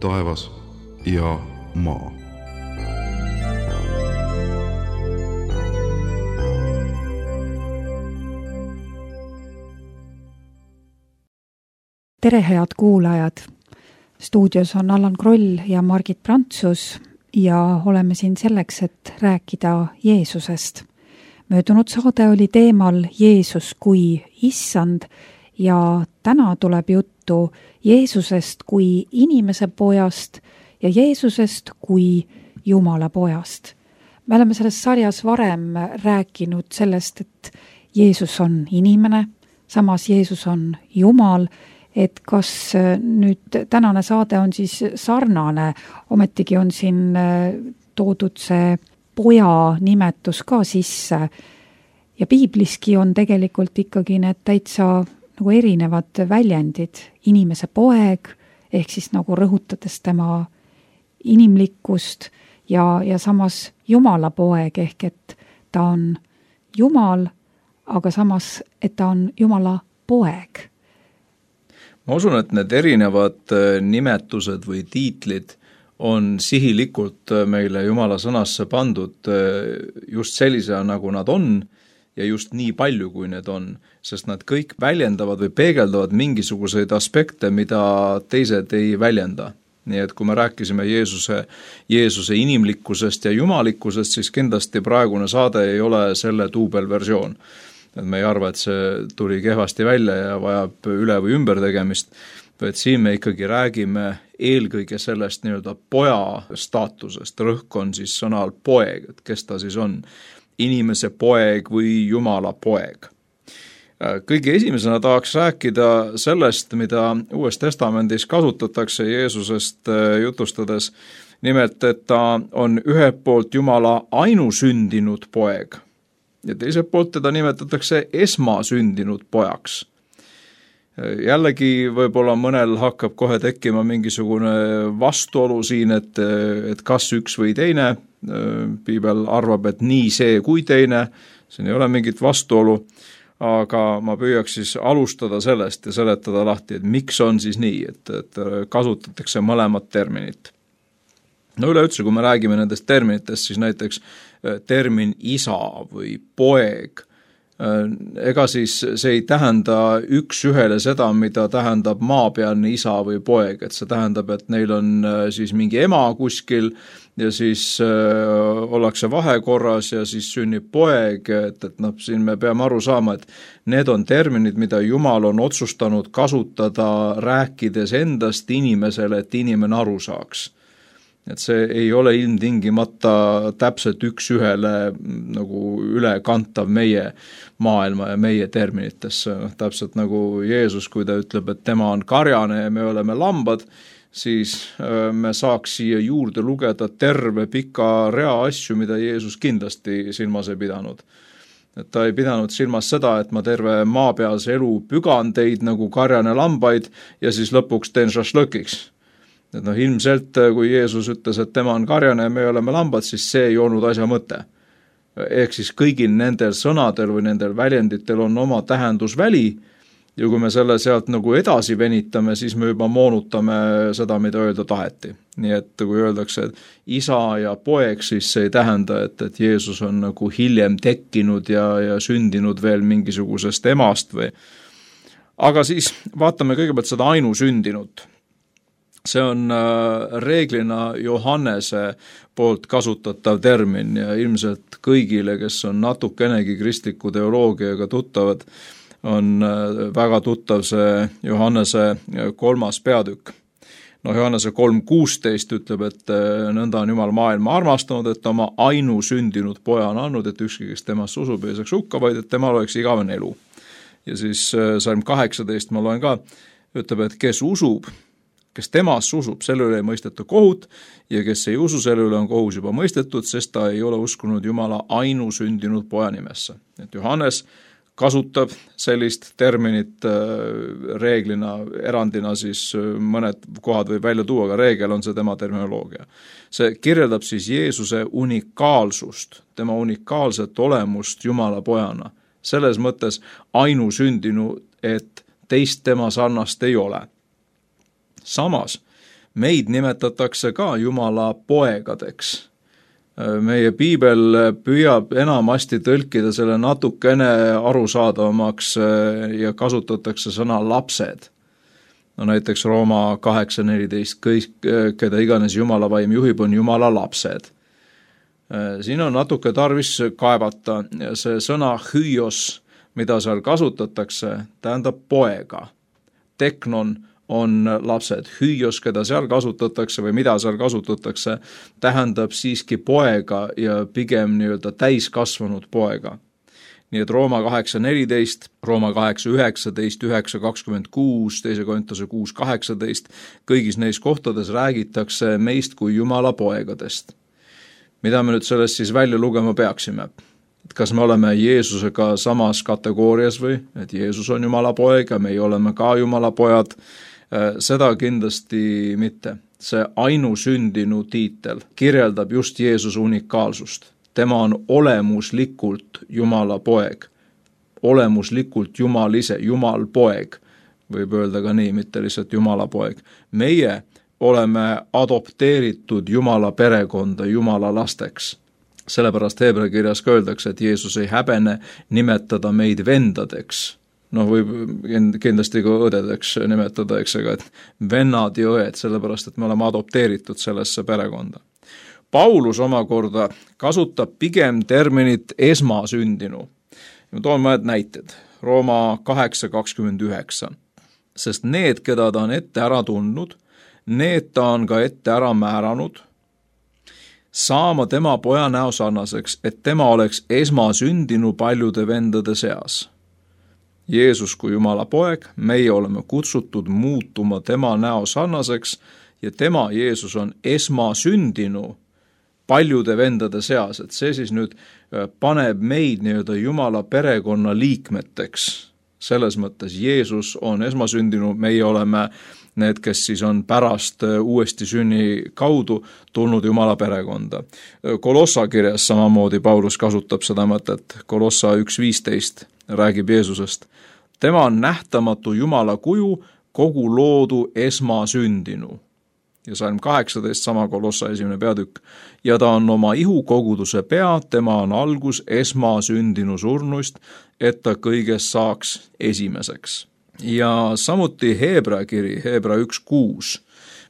taevas ja maa. Tere, head kuulajad! Stuudios on Allan Kroll ja Margit Prantsus ja oleme siin selleks, et rääkida Jeesusest. Möödunud saade oli teemal Jeesus kui issand ja täna tuleb juttu Jeesusest kui inimese pojast ja Jeesusest kui Jumala pojast. Me oleme selles sarjas varem rääkinud sellest, et Jeesus on inimene, samas Jeesus on Jumal, et kas nüüd tänane saade on siis sarnane, ometigi on siin toodud see poja nimetus ka sisse ja piibliski on tegelikult ikkagi need täitsa nagu erinevad väljendid, inimese poeg, ehk siis nagu rõhutades tema inimlikkust ja samas Jumala poeg, ehk et ta on Jumal, aga samas, et ta on Jumala poeg. Ma usun, et need erinevad nimetused või tiitlid on sihilikult meile Jumala sõnasse pandud just sellisena, nagu nad on ja just nii palju, kui need on, sest nad kõik väljendavad või peegeldavad mingisuguseid aspekte, mida teised ei väljenda. Nii et kui me rääkisime Jeesuse inimlikkusest ja jumalikkusest, siis kindlasti praegune saade ei ole selle duubelversioon. Et me ei arva, et see tuli kehvasti välja ja vajab üle või ümber tegemist, vaid siin me ikkagi räägime eelkõige sellest nii-öelda poja staatusest. Rõhk on siis sõnal poeg, et kes ta siis on, inimese poeg või Jumala poeg. Kõige esimesena tahaks rääkida sellest, mida Uues Testamendis kasutatakse Jeesusest jutustades, nimelt, et ta on ühelt poolt Jumala ainusündinud poeg, ja teiselt poolt teda nimetatakse esmasündinud pojaks. Jällegi võib-olla mõnel hakkab kohe tekkima mingisugune vastuolu siin, et kas üks või teine. Piibel arvab, et nii see kui teine, siin ei ole mingit vastuolu, aga ma püüaks siis alustada sellest ja seletada lahti, et miks on siis nii, et kasutatakse mõlemat terminit. No üleüldse, kui me räägime nendest terminitest, siis näiteks termin isa või poeg, ega siis see ei tähenda üks ühele seda, mida tähendab maapealne isa või poeg, et see tähendab, et neil on siis mingi ema kuskil ja siis ollakse vahekorras ja siis sünnib poeg, et siin me peame aru saama, et need on terminid, mida Jumal on otsustanud kasutada rääkides endast inimesele, et inimene aru saaks. Et see ei ole ilmtingimata täpselt üks ühele nagu ülekantav meie maailma ja meie terminitesse. Täpselt nagu Jeesus, kui ta ütleb, et tema on karjane ja me oleme lambad, siis me saaks siia juurde lugeda terve pika rea asju, mida Jeesus kindlasti silmas ei pidanud. Et ta ei pidanud silmas seda, et ma terve maapealse elu pügan teid nagu karjane lambaid ja siis lõpuks teen šašlõkiks. Et ilmselt, kui Jeesus ütles, et tema on karjane ja me oleme lambad, siis see ei olnud asja mõte. Ehk siis kõigil nendel sõnadel või nendel väljenditel on oma tähendusväli ja kui me selle sealt nagu edasi venitame, siis me juba moonutame seda, mida öelda taheti. Nii et kui öeldakse, et isa ja poeg, siis see ei tähenda, et Jeesus on nagu hiljem tekkinud ja sündinud veel mingisugusest emast või. Aga siis vaatame kõigepealt seda ainusündinut. See on reeglina Johannese poolt kasutatav termin ja ilmselt kõigile, kes on natukenegi kristliku teoloogiaga tuttavad, on väga tuttav see Johannese 3. peatükk. Johannese 3.16 ütleb, et nõnda on Jumal maailma armastanud, et oma ainusündinud poja on andnud, et ükski, kes temast usub, ei saaks hukka, vaid et temal oleks igavene elu. Ja siis salm 18 ma loen ka, ütleb, et kes usub, kes temast usub, selle üle ei mõisteta kohut ja kes ei usu, selle üle on kohus juba mõistetud, sest ta ei ole uskunud Jumala ainusündinud poja nimesse. Et Johannes kasutab sellist terminit reeglina, erandina siis mõned kohad võib välja tuua, aga reegel on see tema terminoloogia. See kirjeldab siis Jeesuse unikaalsust, tema unikaalset olemust Jumala pojana. Selles mõttes ainusündinu, et teist tema sarnast ei ole. Samas meid nimetatakse ka Jumala poegadeks. Meie piibel püüab enamasti tõlkida selle natukene arusaadavamaks ja kasutatakse sõna lapsed. No näiteks Rooma 8.14, kõik, keda iganes Jumala vaim juhib, on Jumala lapsed. Siin on natuke tarvis kaevata, see sõna hüios, mida seal kasutatakse, tähendab poega. Teknon on lapsed, hüios, keda seal kasutatakse või mida seal kasutatakse, tähendab siiski poega ja pigem nii-öelda täiskasvanud poega. Nii et Rooma 8.14, Rooma 8.19, 9.26, 2. Korintuse 6.18, kõigis neis kohtades räägitakse meist kui Jumala poegadest. Mida me nüüd sellest siis välja lugema peaksime? Et kas me oleme Jeesusega samas kategoorias või, et Jeesus on Jumala poeg ja meie oleme ka Jumala pojad? Seda kindlasti mitte. See ainusündinu tiitel kirjeldab just Jeesuse unikaalsust. Tema on olemuslikult Jumala poeg, olemuslikult Jumal ise, Jumal poeg, võib öelda ka nii, mitte lihtsalt Jumala poeg. Meie oleme adopteeritud Jumala perekonda, Jumala lasteks. Sellepärast Heebrea kirjas öeldakse, et Jeesus ei häbene nimetada meid vendadeks. Võib kindlasti ka õdedeks nimetada, eks, et vennad ja õed, sellepärast et me oleme adopteeritud sellesse perekonda. Paulus omakorda kasutab pigem terminit esmasündinu. Ma toon mõned näited. Rooma 8.29. Sest need, keda ta on ette ära tundnud, need ta on ka ette ära määranud, saama tema poja näo sarnaseks, et tema oleks esmasündinu paljude vendade seas. Jeesus kui Jumala poeg, meie oleme kutsutud muutuma tema näo sarnaseks ja tema, Jeesus, on esmasündinu paljude vendade seas, et see siis nüüd paneb meid nii-öelda Jumala perekonna liikmeteks. Selles mõttes Jeesus on esmasündinu, meie oleme need, kes siis on pärast uuesti sünni kaudu tulnud Jumala perekonda. Kolossa kirjas samamoodi Paulus kasutab seda mõtet. Kolossa 1.15 räägib Jeesusest. Tema on nähtamatu Jumala kuju, kogu loodu esmasündinu. Ja Salm 18, sama Kolossa 1. peatükk. Ja ta on oma ihukoguduse pea, tema on algus esmasündinu surnuist, et ta kõigest saaks esimeseks. Ja samuti Heebrea kiri, Heebrea 1.6.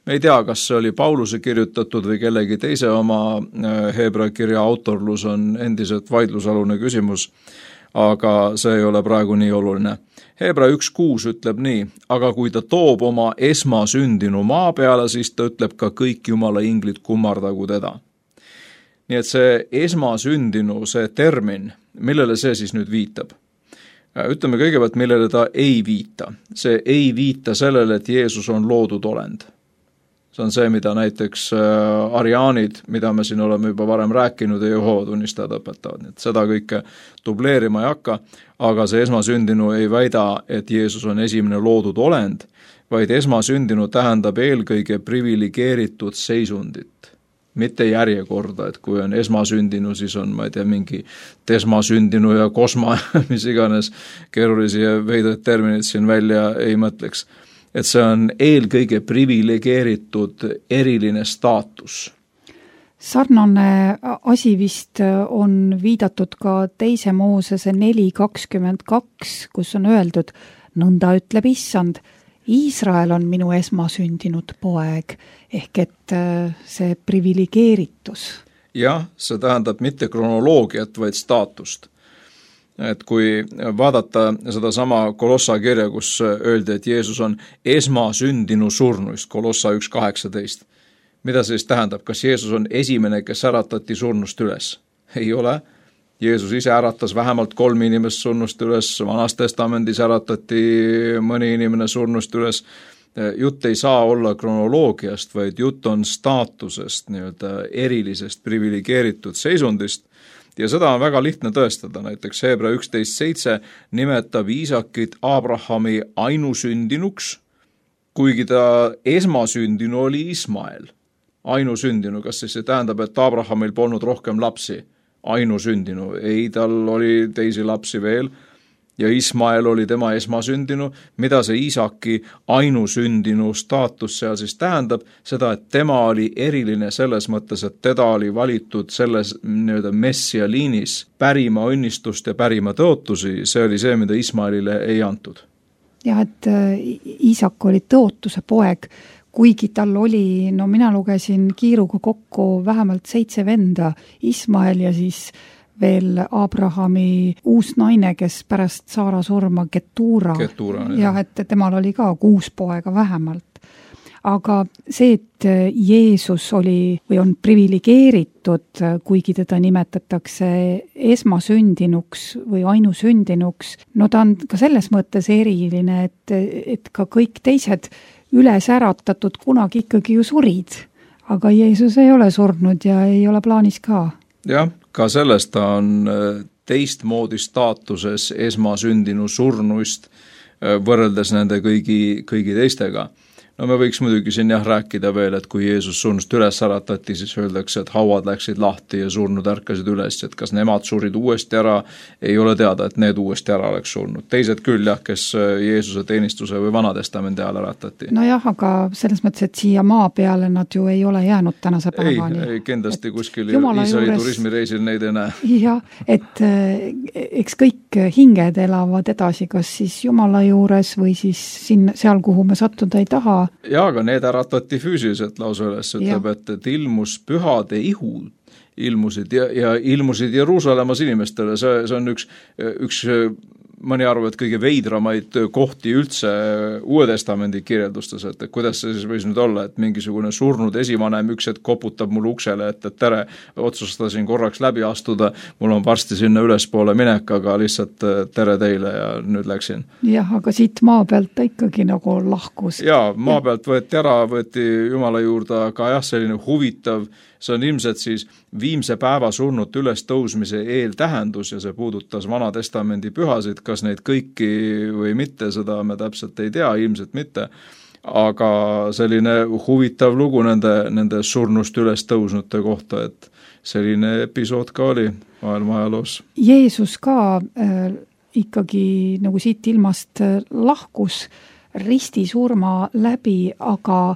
Me ei tea, kas see oli Pauluse kirjutatud või kellegi teise oma Heebrea kirja autorlus on endiselt vaidlusalune küsimus, aga see ei ole praegu nii oluline. Heebrea 1.6 ütleb nii, aga kui ta toob oma esmasündinu maa peale, siis ta ütleb ka kõik Jumala inglid kummardagu teda. Nii et see esmasündinu, see termin, millele see siis nüüd viitab? Ütleme kõigepealt, millele ta ei viita. See ei viita sellele, et Jeesus on loodud olend. See on see, mida näiteks ariaanid, mida me siin oleme juba varem rääkinud, ja Jehova tunnistajad õpetavad. Nii et seda kõike dubleerima ei hakka, aga see esmasündinu ei väida, et Jeesus on esimene loodud olend, vaid esmasündinu tähendab eelkõige privilegeeritud seisundit. Mitte järjekorda, et kui on esmasündinu, siis on, ma ei tea, mingi tesmasündinu ja kosma, mis iganes keerulisi ja veidraid terminid siin välja ei mõtleks. Et see on eelkõige privilegeeritud eriline staatus. Sarnane asi vist on viidatud ka 2. Moosese 4.22, kus on öeldud, nõnda ütleb Issand, Iisrael on minu esmasündinud poeg, ehk et see privilegeeritus. Jah, see tähendab mitte kronoloogiat, vaid staatust. Et kui vaadata seda sama Kolossa kirja, kus öeldi, et Jeesus on esmasündinu surnuist, Kolossa 1.18. Mida see siis tähendab? Kas Jeesus on esimene, kes äratati surnust üles? Ei ole. Jeesus ise äratas vähemalt 3 inimest surnust üles, Vanas testamendis äratati mõni inimene surnust üles. Jutt ei saa olla kronoloogiast, vaid jutt on staatusest, nii-öelda erilisest privilegeeritud seisundist. Ja seda on väga lihtne tõestada, näiteks Heebrea 11.7 nimetab Iisakit Abrahami ainusündinuks, kuigi ta esmasündinu oli Ismael. Ainusündinu, kas siis see tähendab, et Abrahamil polnud rohkem lapsi? Ainusündinu, ei, tal oli teisi lapsi veel. ja Ismael oli tema esmasündinu. Mida see Iisaki ainusündinu staatus seal siis tähendab? Seda, et tema oli eriline selles mõttes, et teda oli valitud selles nii-öelda messia liinis pärima õnnistust ja pärima tõotusi. See oli see, mida Ismaelile ei antud. Jah, et Iisak oli tõotuse poeg, kuigi tal oli, no mina lugesin kiiruga kokku vähemalt 7 venda, Ismael ja siis veel Abrahami uus naine, kes pärast Saara surma Ketura. Jah, et temal oli ka 6 poega vähemalt. Aga see, et Jeesus oli või on priviligeeritud, kuigi teda nimetatakse esmasündinuks või ainusündinuks, no ta on ka selles mõttes eriline, et ka kõik teised üles äratatud kunagi ikkagi ju surid. Aga Jeesus ei ole surnud ja ei ole plaanis ka. Jah, ka sellest ta on teistmoodi staatuses esmasündinu surnuist võrreldes nende kõigi teistega. No me võiks muidugi siin rääkida veel, et kui Jeesus surnust üles äratati, siis öeldakse, et hauad läksid lahti ja surnud ärkasid üles, et kas nemad surid uuesti ära, ei ole teada, et need uuesti ära oleks surnud. Teised küll kes Jeesuse teenistuse või Vanatestamendi ajal äratati. No jah, aga selles mõttes, et siia maa peale nad ju ei ole jäänud tänase päevani. Ei, kindlasti kuskil Iisraeli turismireisil neid ei näe. Jah, et eks kõik hinged elavad edasi, kas siis Jumala juures või siis seal, kuhu me sattuda ei taha. Ja, aga need äratati füüsiliselt lausa üles, ütleb, et ilmus pühade ihud, ilmusid ja ilmusid Jeruusalemmas inimestele. See on üks mõni arv, et kõige veidramaid kohti üldse Uue Testamendi kirjeldustes, et kuidas see siis võis nüüd olla, et mingisugune surnud esivanem üks hetk koputab mul uksele, et tere, otsustasin korraks läbi astuda, mul on varsti sinna ülespoole minek, aga lihtsalt tere teile ja nüüd läksin. Jah, aga siit maa pealt ta ikkagi nagu lahkus. Ja, maa pealt võeti ära, võeti Jumala juurde, aga selline huvitav, see on ilmselt siis viimse päeva surnut üles tõusmise eeltähendus ja see puudutas Vanatestamendi pühasid, kas neid kõiki või mitte, seda me täpselt ei tea, ilmselt mitte, aga selline huvitav lugu nende surnust üles tõusnute kohta, et selline episood ka oli maailma ajaloos. Jeesus ka ikkagi nagu siit ilmast lahkus ristisurma läbi, aga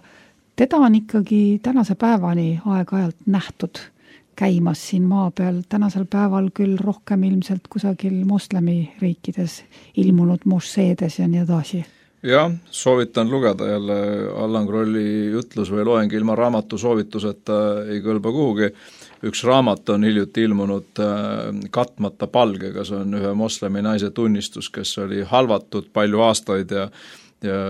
teda on ikkagi tänase päevani aeg-ajalt nähtud käimas siin maa peal, tänasel päeval küll rohkem ilmselt kusagil moslemi riikides ilmunud mošeedes ja nii edasi. Jah, soovitan lugeda jälle Allan Krolli jutlus või loeng ilma raamatu soovituseta ei kõlba kuhugi. Üks raamat on hiljuti ilmunud Katmata palgega, see on ühe moslemi naise tunnistus, kes oli halvatud palju aastaid ja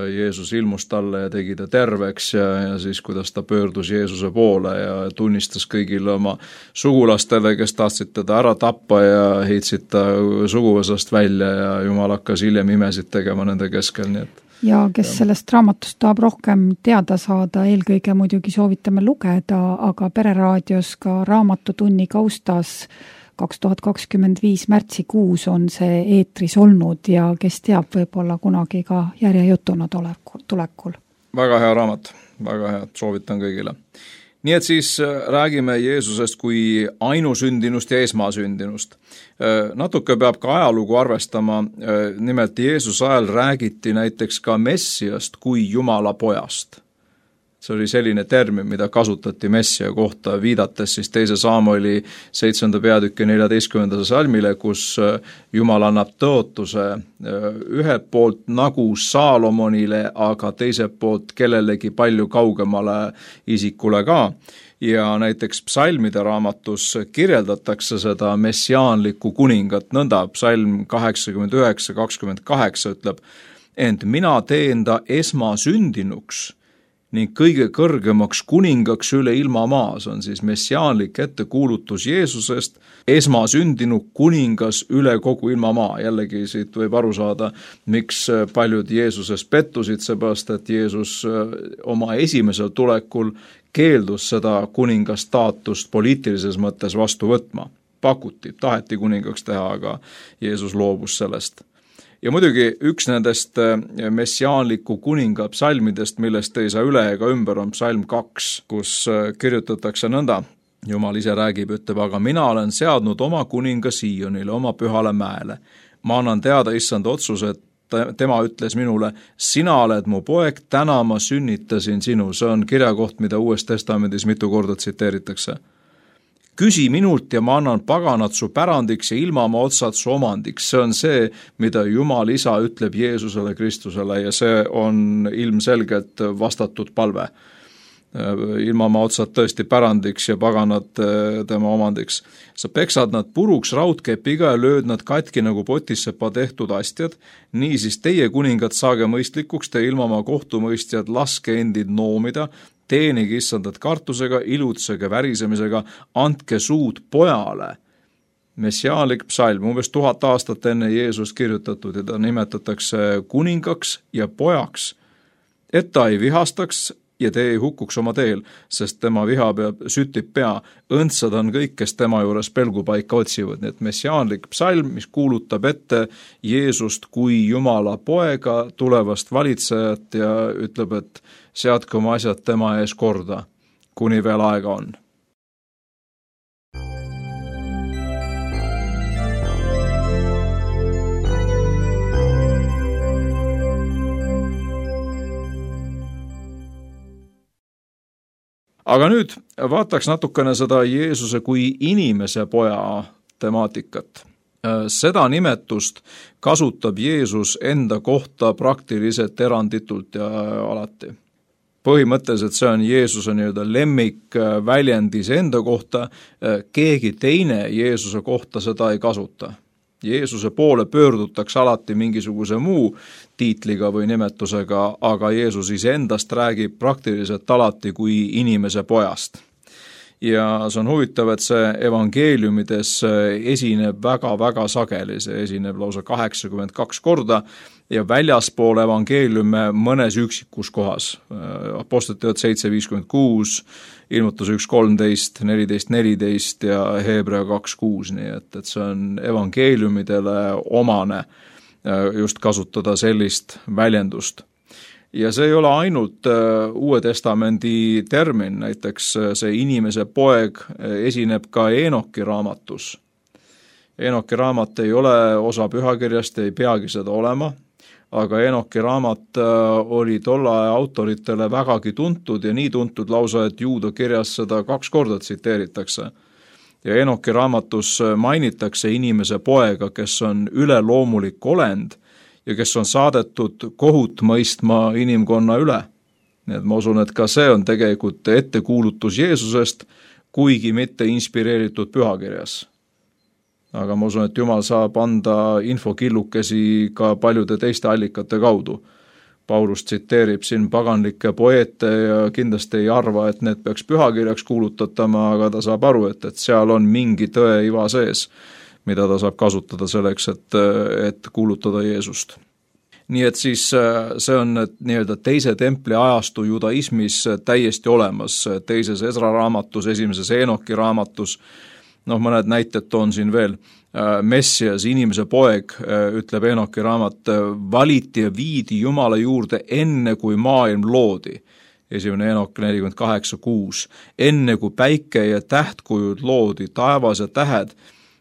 Jeesus ilmus talle ja tegi ta terveks ja siis kuidas ta pöördus Jeesuse poole ja tunnistas kõigile oma sugulastele, kes tahtsid teda ära tappa ja heitsid ta suguvõsast välja ja Jumal hakkas hiljem imesid tegema nende keskel, nii et ja kes sellest raamatust tahab rohkem teada saada, eelkõige muidugi soovitame lugeda, aga Pereraadios ka raamatutunni kaustas 2025 märtsikuus on see eetris olnud ja kes teab, võib-olla kunagi ka järjejutuna tulekul. Väga hea raamat, väga hea, soovitan kõigile. Nii et siis räägime Jeesusest kui ainusündinust ja esmasündinust. Natuke peab ka ajalugu arvestama, nimelt Jeesuse ajal räägiti näiteks ka Messiast kui Jumala pojast. See oli selline termin, mida kasutati Messia kohta, viidates siis 2. Saamueli 7. peatüki 14. salmile, kus Jumal annab tõotuse ühelt poolt nagu Saalomonile, aga teiselt poolt kellelegi palju kaugemale isikule ka. Ja näiteks psalmide raamatus kirjeldatakse seda messiaanlikku kuningat nõnda, psalm 89:28 ütleb, ent mina teen ta esmasündinuks ning kõige kõrgemaks kuningaks üle ilma maas, on siis messiaanlik ettekuulutus Jeesusest, esmasündinu kuningas üle kogu ilma maa. Jällegi siit võib aru saada, miks paljud Jeesuses pettusid, seepärast et Jeesus oma esimesel tulekul keeldus seda kuningastaatust poliitilises mõttes vastu võtma. Pakuti, taheti kuningaks teha, aga Jeesus loobus sellest. Ja muidugi üks nendest messiaanliku kuninga psalmidest, millest ei saa üle ega ümber, on psalm 2, kus kirjutatakse nõnda. Jumal ise räägib, ütleb, aga mina olen seadnud oma kuninga Siionile, oma pühale mäele. ma annan teada issand otsuse, et tema ütles minule, sina oled mu poeg, täna ma sünnitasin sinu. See on kirjakoht, mida Uues Testamendis mitu korda tsiteeritakse. Küsi minult ja ma annan paganad su pärandiks ja ilmamaa otsad su omandiks. See on see, mida Jumal Isa ütleb Jeesusele Kristusele ja see on ilmselgelt vastatud palve. Ilmamaa otsad tõesti pärandiks ja paganad tema omandiks. Sa peksad nad puruks raudkepiga ja lööd nad katki nagu potissepa tehtud astjad. Niisiis teie kuningad saage mõistlikuks, te ilmamaa kohtumõistjad laske endid noomida, teenige issandat kartusega, ilutsege värisemisega, andke suud pojale. Messiaanlik psalm, umbes 1000 aastat enne Jeesust kirjutatud ja ta nimetatakse kuningaks ja pojaks, et ta ei vihastaks ja te ei hukkuks oma teel, sest tema viha sütib pea. Õndsad on kõik, kes tema juures pelgupaika otsivad. Nii et messiaanlik psalm, mis kuulutab ette Jeesust kui Jumala poega, tulevast valitsejat ja ütleb, et seadke oma asjad tema ees korda, kuni veel aega on. Aga nüüd vaataks natukene seda Jeesuse kui inimese poja temaatikat. Seda nimetust kasutab Jeesus enda kohta praktiliselt eranditult ja alati. Põhimõtteliselt see on Jeesuse nii-öelda lemmik väljendis enda kohta, keegi teine Jeesuse kohta seda ei kasuta. Jeesuse poole pöördutakse alati mingisuguse muu tiitliga või nimetusega, aga Jeesus iseendast räägib praktiliselt alati kui inimese pojast. Ja see on huvitav, et see evangeeliumides esineb väga-väga sageli, see esineb lausa 82 korda ja väljaspool evangeeliume mõnes üksikus kohas. Apostlite 7:56, Ilmutus 1:13, 14:14 ja Hebrea 2:6, nii et see on evangeeliumidele omane just kasutada sellist väljendust. Ja see ei ole ainult Uue Testamendi termin, näiteks see inimese poeg esineb ka Eenoki raamatus. Eenoki raamat ei ole osa pühakirjast, ei peagi seda olema, aga Eenoki raamat oli tolle aja autoritele vägagi tuntud ja nii tuntud lausa, et Juuda kirjas seda 2 korda tsiteeritakse. Ja Eenoki raamatus mainitakse inimese poega, kes on üleloomulik olend ja kes on saadetud kohut mõistma inimkonna üle. Nii et ma usun, et ka see on tegelikult ettekuulutus Jeesusest, kuigi mitte inspireeritud pühakirjas. Aga ma usun, et Jumal saab anda infokillukesi ka paljude teiste allikate kaudu. Paulus tsiteerib siin paganlikke poeete ja kindlasti ei arva, et need peaks pühakirjaks kuulutatama, aga ta saab aru, et seal on mingi tõe iva sees, mida ta saab kasutada selleks, et kuulutada Jeesust. Nii et siis see on nii-öelda teise templi ajastu judaismis täiesti olemas, teises Ezra raamatus, esimeses Eenoki raamatus, mõned näited toon siin veel, Messias, inimese poeg, ütleb Eenoki raamat, valiti ja viidi Jumala juurde enne kui maailm loodi. Esimene Eenok 48:6. Enne kui päike ja tähtkujud loodi, taevas ja tähed,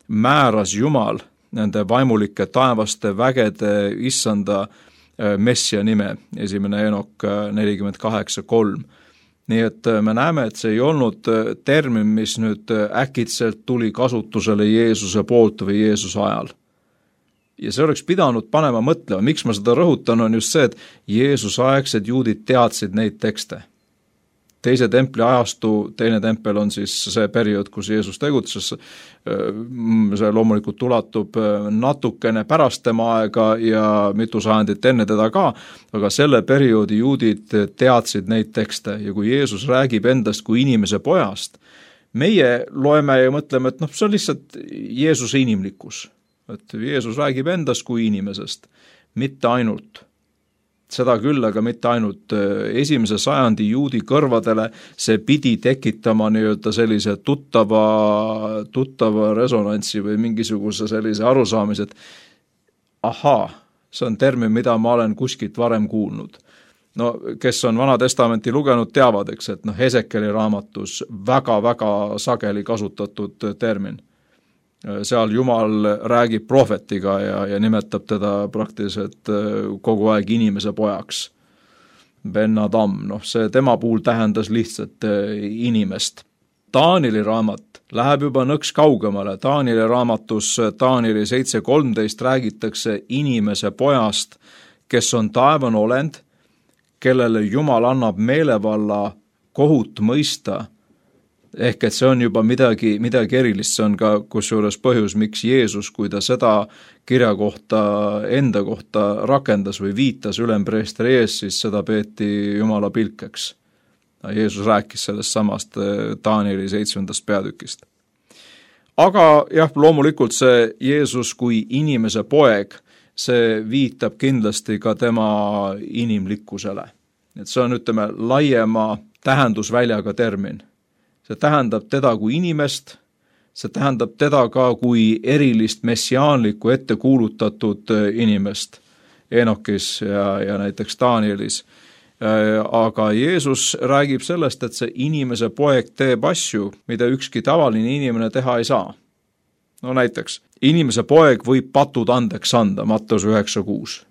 määras Jumal nende vaimulike taevaste vägede issanda Messia nime, esimene Eenok 48:3. Nii et me näeme, et see ei olnud termin, mis nüüd äkitselt tuli kasutusele Jeesuse poolt või Jeesuse ajal. Ja see oleks pidanud panema mõtlema, miks ma seda rõhutan, on just see, et Jeesuse aegsed juudid teadsid neid tekste. Teise templi ajastu, teine tempel on siis see periood, kus Jeesus tegutses, see loomulikult ulatub natukene pärast tema aega ja mitu sajandit enne teda ka, aga selle perioodi juudid teadsid neid tekste ja kui Jeesus räägib endast kui inimese pojast, meie loeme ja mõtleme, et see on lihtsalt Jeesuse inimlikkus, et Jeesus räägib endast kui inimesest, mitte ainult. Seda küll, aga mitte ainult esimese sajandi juudi kõrvadele, see pidi tekitama nii-öelda sellise tuttava resonantsi või mingisuguse sellise arusaamise, et ahaa, see on termin, mida ma olen kuskilt varem kuulnud. Kes on Vana Testamenti lugenud, teavad, eks, et Hesekeli raamatus väga-väga sageli kasutatud termin. seal Jumal räägib prohvetiga ja nimetab teda praktiliselt kogu aeg inimese pojaks. Ben Adam, see tema puhul tähendas lihtsalt inimest. Taanieli raamat läheb juba nõks kaugemale. Taanieli raamatus Taanieli 7.13 räägitakse inimese pojast, kes on taevane olend, kellele Jumal annab meelevalla kohut mõista. Ehk et see on juba midagi erilist, see on ka kusjuures põhjus, miks Jeesus, kui ta seda kirja kohta, enda kohta rakendas või viitas ülempreestri ees, siis seda peeti Jumala pilkeks. Jeesus rääkis sellest samast Taanieli 7. peatükist. Aga jah, loomulikult see Jeesus kui inimese poeg, see viitab kindlasti ka tema inimlikkusele. Et see on, ütleme, laiema tähendusväljaga termin. See tähendab teda kui inimest, see tähendab teda ka kui erilist messiaanlikku ette kuulutatud inimest Enokis ja näiteks Danielis. Aga Jeesus räägib sellest, et see inimese poeg teeb asju, mida ükski tavaline inimene teha ei saa. No näiteks, inimese poeg võib patud andeks anda, Matteuse 9.6.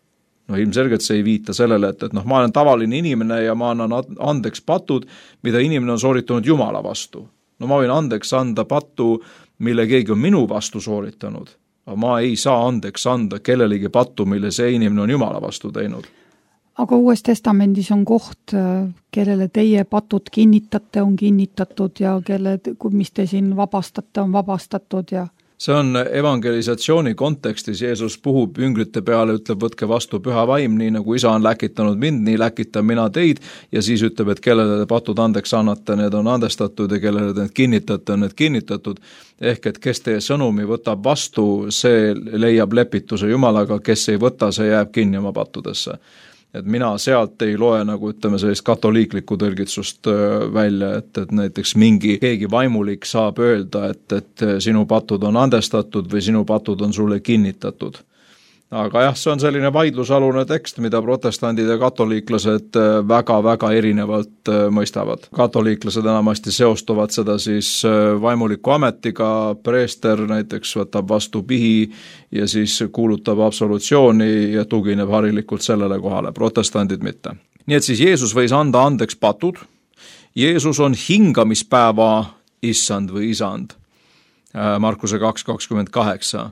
Ilmselgelt see ei viita sellele, et ma olen tavaline inimene ja ma annan andeks patud, mida inimene on sooritanud Jumala vastu. Ma võin andeks anda pattu, mille keegi on minu vastu sooritanud, aga ma ei saa andeks anda kellelegi pattu, mille see inimene on Jumala vastu teinud. Aga Uues Testamendis on koht, kellele teie patud kinnitate, on kinnitatud ja mis te siin vabastate, on vabastatud ja see on evangelisatsiooni kontekstis, Jeesus puhub jüngrite peale, ütleb, võtke vastu püha vaim, nii nagu isa on läkitanud mind, nii läkitan mina teid, ja siis ütleb, et kellele te patud andeks annate, need on andestatud ja kellele te need kinnitate, on need kinnitatud. Ehk et kes teie sõnumi võtab vastu, see leiab lepituse Jumalaga, kes ei võta, see jääb kinni oma pattudesse. Et mina sealt ei loe nagu ütleme sellist katoliiklikku tõlgitsust välja, et näiteks keegi vaimulik saab öelda, et sinu patud on andestatud või sinu patud on sulle kinnitatud. Aga jah, see on selline vaidlusalune tekst, mida protestandid ja katoliiklased väga-väga erinevalt mõistavad. Katoliiklased enamasti seostuvad seda siis vaimuliku ametiga, preester näiteks võtab vastu pihi ja siis kuulutab absolutsiooni ja tugineb harilikult sellele kohale, protestandid mitte. Nii et siis Jeesus võis anda andeks patud, Jeesus on hingamispäeva issand või isand, Markuse 2.28.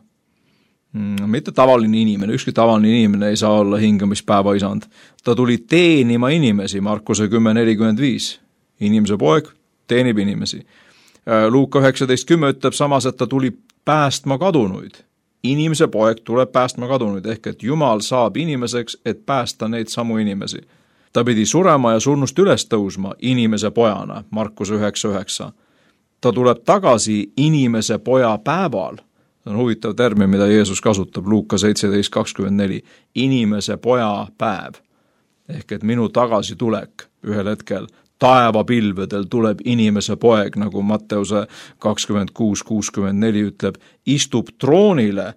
Mitte tavaline inimene, ükski tavaline inimene ei saa olla hingamispäeva isand. Ta tuli teenima inimesi, Markuse 10.45. Inimese poeg teenib inimesi. Luuka 19.10 ütleb samas, et ta tuli päästma kadunuid. Inimese poeg tuleb päästma kadunuid, ehk et Jumal saab inimeseks, et päästa neid samu inimesi. Ta pidi surema ja surnust üles tõusma inimese pojana, Markuse 9.9. Ta tuleb tagasi inimese poja päeval. See on huvitav termin, mida Jeesus kasutab, Luuka 17.24. Inimese poja päev. Ehk et minu tagasitulek ühel hetkel taevapilvedel tuleb inimese poeg, nagu Matteuse 26.64 ütleb, istub troonile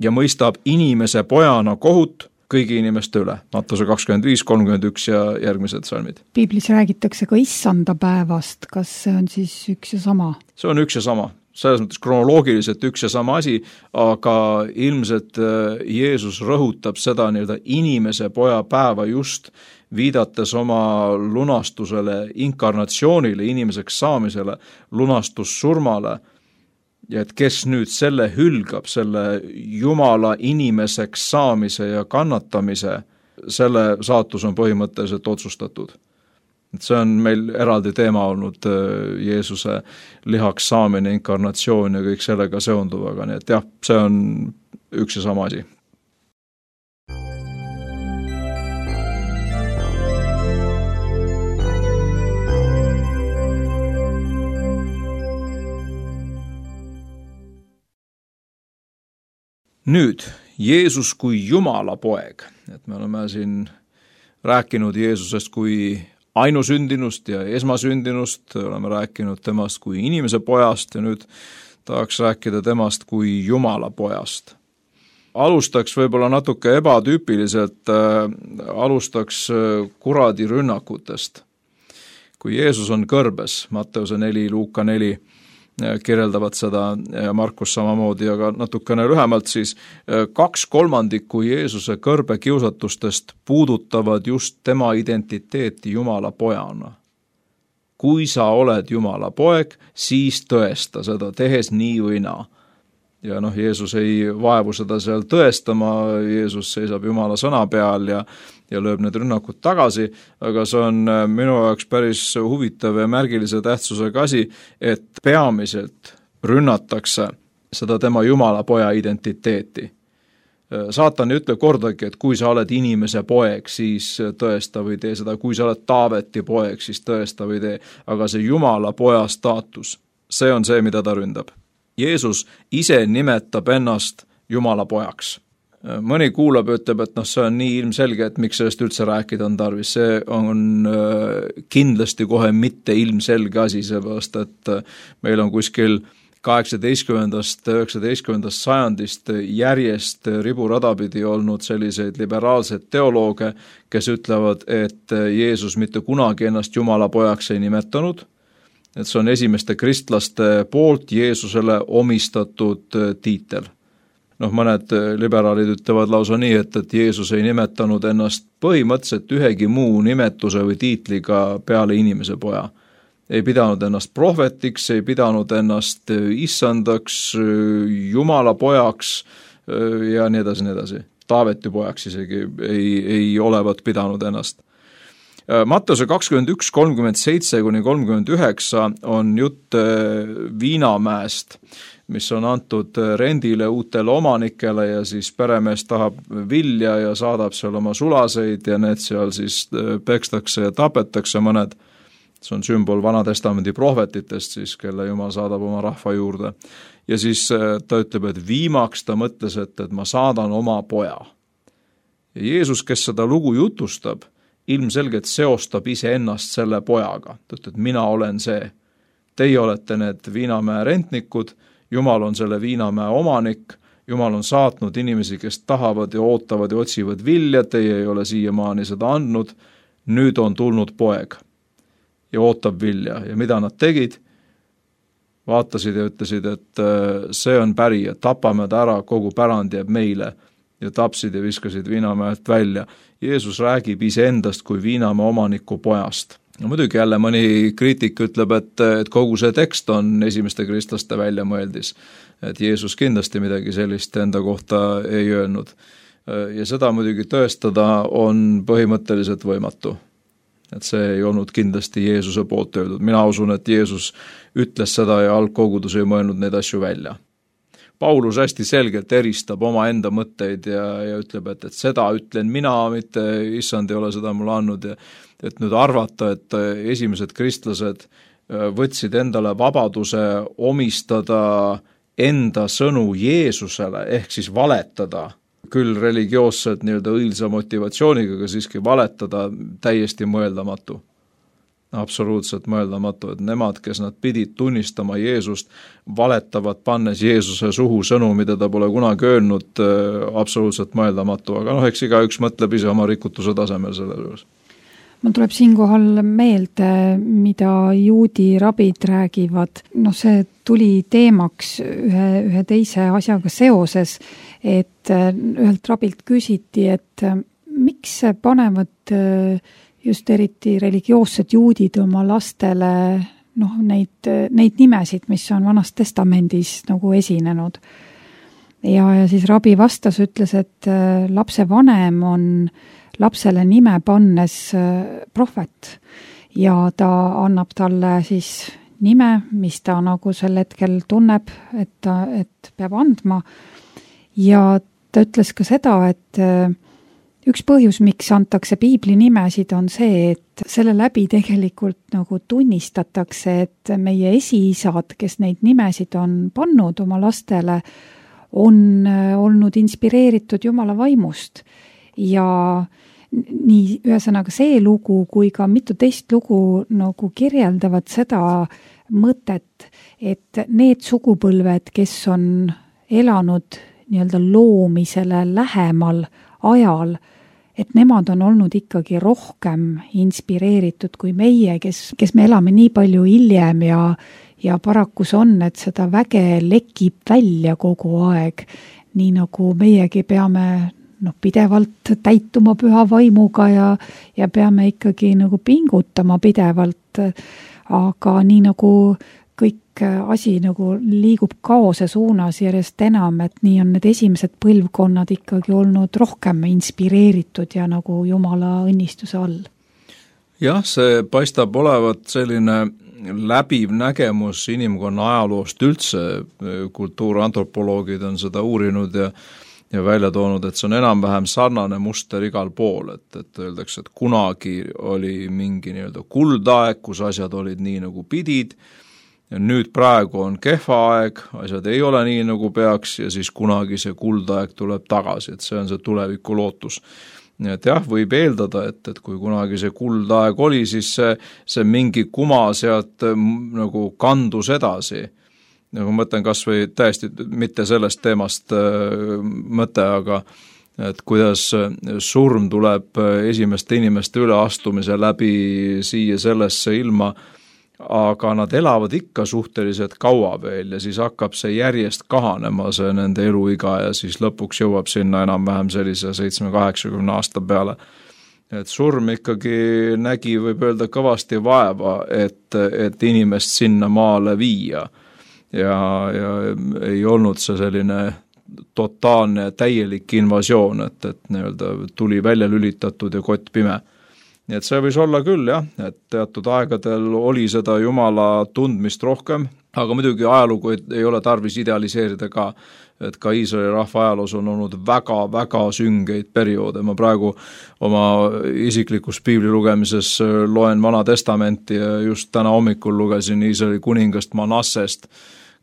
ja mõistab inimese pojana kohut kõigi inimeste üle. Matteuse 25.31 ja järgmised salmid. Piiblis räägitakse ka issanda päevast. Kas see on siis üks ja sama? See on üks ja sama. Selles mõttes kronoloogiliselt üks ja sama asi, aga ilmselt Jeesus rõhutab seda inimese poja päeva just viidates oma lunastusele, inkarnatsioonile, inimeseks saamisele, lunastussurmale, ja et kes nüüd selle hülgab, selle Jumala inimeseks saamise ja kannatamise, selle saatus on põhimõtteliselt otsustatud. Et see on meil eraldi teema olnud Jeesuse lihaks saamine, inkarnatsioon ja kõik sellega seonduvaga, nii et jah, see on üks ja sama asi. Nüüd, Jeesus kui Jumala poeg, et me oleme siin rääkinud Jeesusest kui ainusündinust ja esmasündinust, oleme rääkinud temast kui inimese pojast ja nüüd tahaks rääkida temast kui Jumala pojast. Alustaks võib-olla natuke ebatüüpiliselt, alustaks kuradi rünnakutest. Kui Jeesus on kõrbes, Matteuse 4, Luuka 4, kirjeldavad seda ja Markus samamoodi, aga natukene lühemalt siis 2/3 Jeesuse kõrbekiusatustest puudutavad just tema identiteeti Jumala pojana. Kui sa oled Jumala poeg, siis tõesta seda, tehes nii või naa. Ja Jeesus ei vaevu seda seal tõestama, Jeesus seisab Jumala sõna peal ja lööb need rünnakud tagasi, aga see on minu jaoks päris huvitav ja märgilise tähtsusega asi, et peamiselt rünnatakse seda tema Jumala poja identiteeti. Saatan ei ütle kordagi, et kui sa oled inimese poeg, siis tõesta või tee seda, kui sa oled Taaveti poeg, siis tõesta või tee, aga see Jumala poja staatus, see on see, mida ta ründab. Jeesus ise nimetab ennast Jumala pojaks. Mõni kuulab ja ütleb, et see on nii ilmselge, et miks sellest üldse rääkida on tarvis. See on kindlasti kohe mitte ilmselge asi, seepärast et meil on kuskil 18.–19. sajandist järjest riburadapidi olnud selliseid liberaalseid teolooge, kes ütlevad, et Jeesus mitte kunagi ennast Jumala pojaks ei nimetanud, et see on esimeste kristlaste poolt Jeesusele omistatud tiitel. Mõned liberaalid ütlevad lausa nii, et Jeesus ei nimetanud ennast põhimõtteliselt ühegi muu nimetuse või tiitliga peale inimese poja. Ei pidanud ennast prohvetiks, ei pidanud ennast issandaks, Jumala pojaks ja nii edasi, nii edasi. Taaveti pojaks isegi ei olevat pidanud ennast. Matteuse 21:37–39 on jutt viinamäest, mis on antud rendile uutele omanikele ja siis peremees tahab vilja ja saadab seal oma sulaseid ja need seal siis pekstakse ja tapetakse mõned. See on sümbol Vanatestamendi prohvetitest siis, kelle Jumal saadab oma rahva juurde. Ja siis ta ütleb, et viimaks ta mõtles, et ma saadan oma poja. Ja Jeesus, kes seda lugu jutustab, ilmselgelt seostab ise ennast selle pojaga. Ta ütleb, et mina olen see. Teie olete need viinamäe rentnikud, Jumal on selle viinamäe omanik, Jumal on saatnud inimesi, kes tahavad ja ootavad ja otsivad vilja, teie ei ole siiamaani seda andnud, nüüd on tulnud poeg ja ootab vilja. Ja mida nad tegid? Vaatasid ja ütlesid, et see on pärija, tapame ta ära, kogu pärand jääb meile ja tapsid ja viskasid viinamäelt välja. Jeesus räägib iseendast kui viinamäe omaniku pojast. No muidugi jälle mõni kriitik ütleb, et kogu see tekst on esimeste kristlaste väljamõeldis, et Jeesus kindlasti midagi sellist enda kohta ei öelnud. Ja seda muidugi tõestada on põhimõtteliselt võimatu. Et see ei olnud kindlasti Jeesuse poolt öeldud. Mina usun, et Jeesus ütles seda ja algkogudus ei mõelnud neid asju välja. Paulus hästi selgelt eristab oma enda mõtteid ja ütleb, et seda ütlen mina, mitte issand ei ole seda mulle andnud. Et nüüd arvata, et esimesed kristlased võtsid endale vabaduse omistada enda sõnu Jeesusele, ehk siis valetada, küll religioosselt nii-öelda õilsa motivatsiooniga, aga siiski valetada täiesti mõeldamatu. Absoluutselt mõeldamatu, et nemad, kes nad pidid tunnistama Jeesust, valetavad pannes Jeesuse suhu sõnu, mida ta pole kunagi öelnud, absoluutselt mõeldamatu, aga eks igaüks mõtleb ise oma rikutuse tasemel selle juures. Mul tuleb siinkohal meelde, mida juudi rabid räägivad. See tuli teemaks ühe teise asjaga seoses, et ühelt rabilt küsiti, et miks panevad just eriti religioossed juudid oma lastele neid nimesid, mis on Vanas Testamendis nagu esinenud. Ja siis rabi vastas, ütles, et lapse vanem on lapsele nime pannes prohvet ja ta annab talle siis nime, mis ta nagu sel hetkel tunneb, et peab andma. Ja ta ütles ka seda, et üks põhjus, miks antakse piibli nimesid, on see, et selle läbi tegelikult nagu tunnistatakse, et meie esiisad, kes neid nimesid on pannud oma lastele, on olnud inspireeritud Jumala vaimust. Ja nii ühesõnaga see lugu kui ka mitu teist lugu nagu kirjeldavad seda mõtet, et need sugupõlved, kes on elanud nii-öelda loomisele lähemal ajal, et nemad on olnud ikkagi rohkem inspireeritud kui meie, kes me elame nii palju hiljem ja paraku see on, et seda väge lekib välja kogu aeg, nii nagu meiegi peame pidevalt täituma püha vaimuga ja peame ikkagi nagu pingutama pidevalt, aga nii nagu kõik asi nagu liigub kaose suunas järjest enam, et nii on need esimesed põlvkonnad ikkagi olnud rohkem inspireeritud ja nagu Jumala õnnistuse all. Jah, see paistab olevat selline läbiv nägemus inimkonna ajaloost üldse, kultuurantropoloogid on seda uurinud ja välja toonud, et see on enam-vähem sarnane muster igal pool, et öeldakse, et kunagi oli mingi nii-öelda kuldaeg, kus asjad olid nii nagu pidid, ja nüüd praegu on kehva aeg, asjad ei ole nii nagu peaks ja siis kunagi see kuldaeg tuleb tagasi, et see on see tuleviku lootus. Nii et jah, võib eeldada, et kui kunagi see kuldaeg oli, siis see mingi kuma sealt nagu kandus edasi. Nagu mõtlen kas või täiesti mitte sellest teemast mõte, aga et kuidas surm tuleb esimeste inimeste üleastumise läbi siia sellesse ilma, aga nad elavad ikka suhteliselt kaua veel ja siis hakkab see järjest kahanema, see nende eluiga ja siis lõpuks jõuab sinna enam-vähem sellise 70-80 aasta peale. Et surm ikkagi nägi, võib öelda, kõvasti vaeva, et inimest sinna maale viia ja ei olnud see selline totaalne täielik invasioon, et nii-öelda tuli välja lülitatud ja kott pime. Nii et see võis olla küll jah, et teatud aegadel oli seda Jumala tundmist rohkem, aga muidugi ajalugu ei ole tarvis idealiseerida ka, et ka Iisraeli rahva ajaloos on olnud väga-väga süngeid perioode. Ma praegu oma isiklikus piibli lugemises loen Vana Testamenti ja just täna hommikul lugesin Iisraeli kuningast Manassest,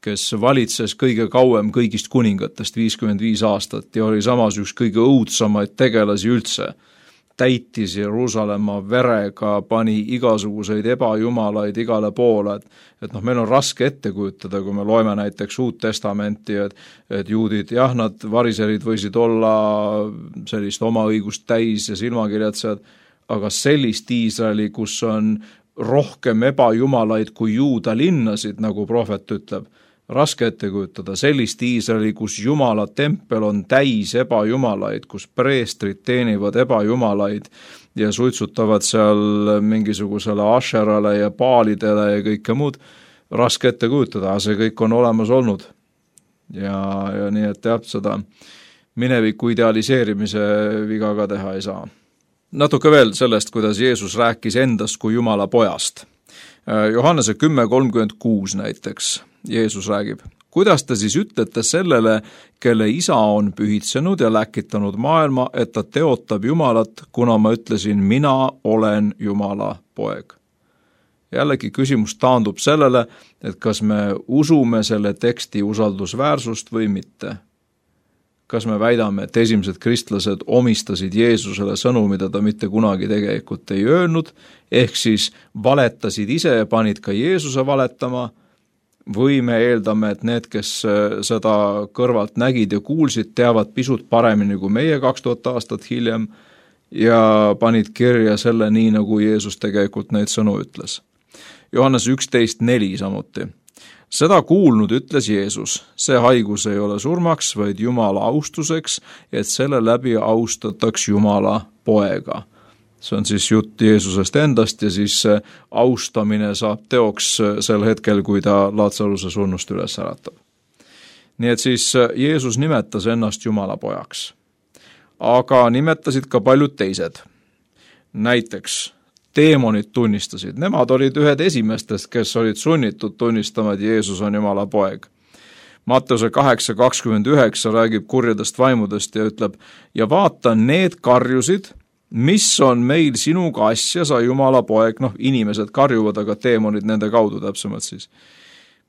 kes valitses kõige kauem kõigist kuningatest 55 aastat ja oli samas üks kõige õudsamaid tegelasi üldse. Täitis Jeruusalemma verega, pani igasuguseid ebajumalaid igale poole, et meil on raske ette kujutada, kui me loeme näiteks Uut Testamenti, et juudid, jah, nad variserid võisid olla sellist oma õigust täis ja silmakirjatsejad, aga sellist Iisraeli, kus on rohkem ebajumalaid kui Juuda linnasid, nagu prohvet ütleb, raske ette kujutada sellist Iisraeli, kus Jumala tempel on täis ebajumalaid, kus preestrid teenivad ebajumalaid ja suitsutavad seal mingisugusele Asherale ja Baalidele ja kõike muud, raske ette kujutada, see kõik on olemas olnud. Ja nii, et jah, seda mineviku idealiseerimise viga ka teha ei saa. Natuke veel sellest, kuidas Jeesus rääkis endast kui Jumala pojast. Johannese 10:36 näiteks Jeesus räägib, kuidas te siis ütlete sellele, kelle isa on pühitsenud ja läkitanud maailma, et ta teotab Jumalat, kuna ma ütlesin, mina olen Jumala poeg. Jällegi küsimus taandub sellele, et kas me usume selle teksti usaldusväärsust või mitte. Kas me väidame, et esimesed kristlased omistasid Jeesusele sõnu, mida ta mitte kunagi tegelikult ei öelnud, ehk siis valetasid ise ja panid ka Jeesuse valetama, või me eeldame, et need, kes seda kõrvalt nägid ja kuulsid, teavad pisut paremini kui meie 2000 aastat hiljem ja panid kirja selle nii, nagu Jeesus tegelikult neid sõnu ütles. Johannes 11:4 samuti. Seda kuulnud ütles Jeesus, see haigus ei ole surmaks, vaid Jumala austuseks, et selle läbi austataks Jumala poega. See on siis jutt Jeesusest endast ja siis austamine saab teoks sel hetkel, kui ta Laatsaruse surnust üles äratab. Nii et siis Jeesus nimetas ennast Jumala pojaks. Aga nimetasid ka paljud teised. Näiteks teemonid tunnistasid. Nemad olid ühed esimestest, kes olid sunnitud tunnistama, et Jeesus on Jumala poeg. Matteuse 8:29 räägib kurjadest vaimudest ja ütleb, ja vaata, need karjusid, mis on meil sinuga asja, sa Jumala poeg, inimesed karjuvad, aga teemonid nende kaudu täpsemalt siis.